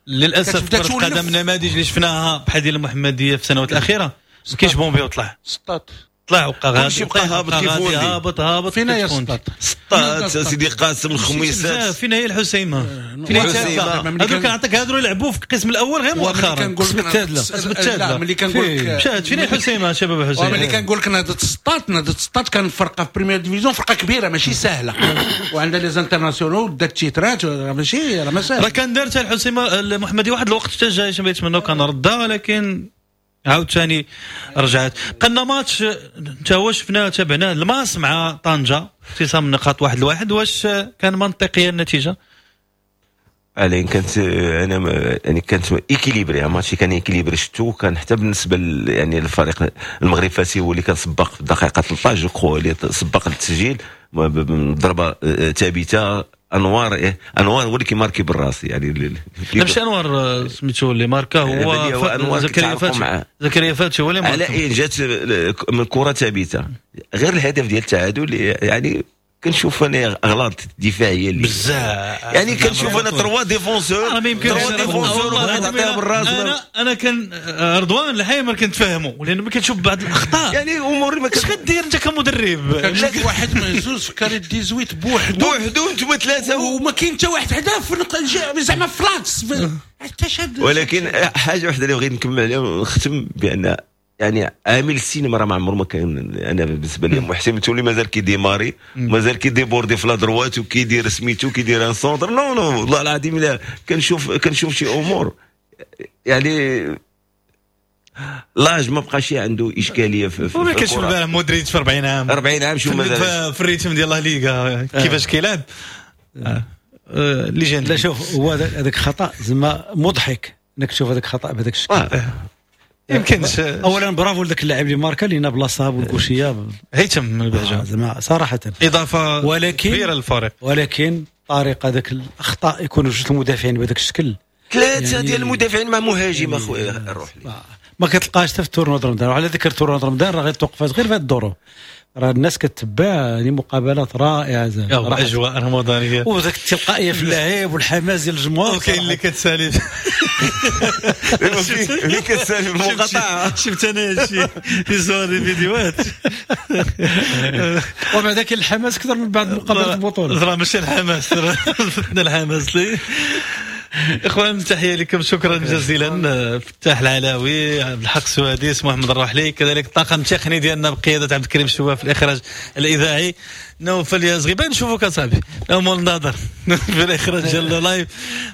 للاسف كره القدم النماذج اللي شفناها بحال ديال المحمدية في السنوات الاخيرة ما كاينش بومبي وطلع سطات، طلع وبقى غادي بقى هابط كيف ولدي هابط هابط. فين هي سطات؟ سطات سيدي قاسم الخميسات، فين هي الحسيمه؟ فين هي التادله؟ هذوك كنعطيك هادو يلعبوا في القسم الاول غير مؤخرا، قسم التادله، قسم التادله. ملي كنقول لك مشات فين هي الحسيمه شباب الحسيمه؟ ملي كنقول لك نهضة سطات، نهضة سطات كان فرقه في première division، فرقه كبيرة ماشي سهلة، وعندها les internationaux دات تيترات، ماشي راه ما ساهل. راه كان دارتها الحسيمه المحمدية واحد الوقت حتى جاي شنو يتمنوا كان ردها، ولكن عاوتاني رجعت. قلنا ماتش انت هو شفناه تابعناه الماس مع طنجة، اختصام النقاط 1-1، واش كان منطقية النتيجة؟ علين كانت انا يعني كانت équilibré، ماتش كان équilibré شفتو، كان حتى بالنسبة يعني الفريق المغرب فاسي هو اللي كان سباق في الدقيقة 13 je crois اللي سبق للتسجيل ضربه ثابتة. انوار هو اللي كيماركي بالراس، يعني لا ماشي انوار سميتو اللي ماركا، هو زكريا فاتي، زكريا فاتي هو اللي ماركا. على اين جات من كره ثابتة، غير الهدف ديال التعادل يعني كنشوف انا اغلاط دفاعية اللي بزاف، يعني كنشوف انا trois défenseurs، trois défenseurs عطيها بالراس. انا كان رضوان الحيمر كنتفاهموا، لان ملي كتشوف بعض الاخطاء يعني امور ما اش غدير انت كمدرب؟ كنشوف واحد مهزوز في carré 18 بوحدو انتم ثلاثة وما كاين حتى واحد حدا في زعما في l'axe حتى شاد. ولكن حاجة واحدة اللي بغيت نكمل عليها ونختم بان يعني عامل السينما راه ما عمره ما كان. انا بالنسبة لي محسن تولي مازال كي démarrer، مازال كي déborder في la droite وكيدير سميتو كيدير un centre. non non والله العظيم الا كنشوف شي امور يعني l'âge ما بقاش عنده اشكالية في وما كنشوف البارح مودريتش في 40 عام 40 عام شو مازال في ال rythme ديال لا ليغا كيفاش كيلعب légende. لا شوف هو هذاك خطا زعما مضحك انك تشوف هذاك خطا بهذاك الشكل. يمكنش. اولا برافو لذاك اللاعب اللي ماركا لينا بلاصة بال gaucher. هيثم من البهجه. زعما صراحة اضافه ولكن كبيرة للفريق. ولكن طريقه ذاك الاخطاء يكونوا جوج المدافعين بهذاك الشكل، ثلاثة يعني ديال المدافعين مع مهاجم اخويا الروح. ما كتلقاش حتى في tournoi رمضان. وعلى ذكر tournoi رمضان، راه غير توقفات غير في هذه الظروف، راه الناس كتبع يعني مقابلات رائعة زعما. اجواء رمضانيه. وذاك التلقائية في اللعب والحماس ديال الجمهور. وكاين اللي كتسالي. اللي كتسالي المقاطعه. شفت انا شي صور الفيديوهات. ومع ذاك الحماس اكثر من بعد مقابله البطوله. راه ماشي الحماس، فتنا الحماس لي. اخوان، تحية لكم، شكرا جزيلا فتاح العلاوي، عبد الحق سواديس، محمد الرحلي، كذلك الطاقم التقني ديالنا بقيادة عبد الكريم شواف في الاخراج الاذاعي، نوفل يا زغيبان، نشوفوك اصاحبي مول النظر في الاخراج ديال ال live.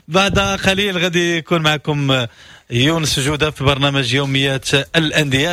بعد قليل غادي يكون معكم يونس جوده في برنامج يوميات الانديه.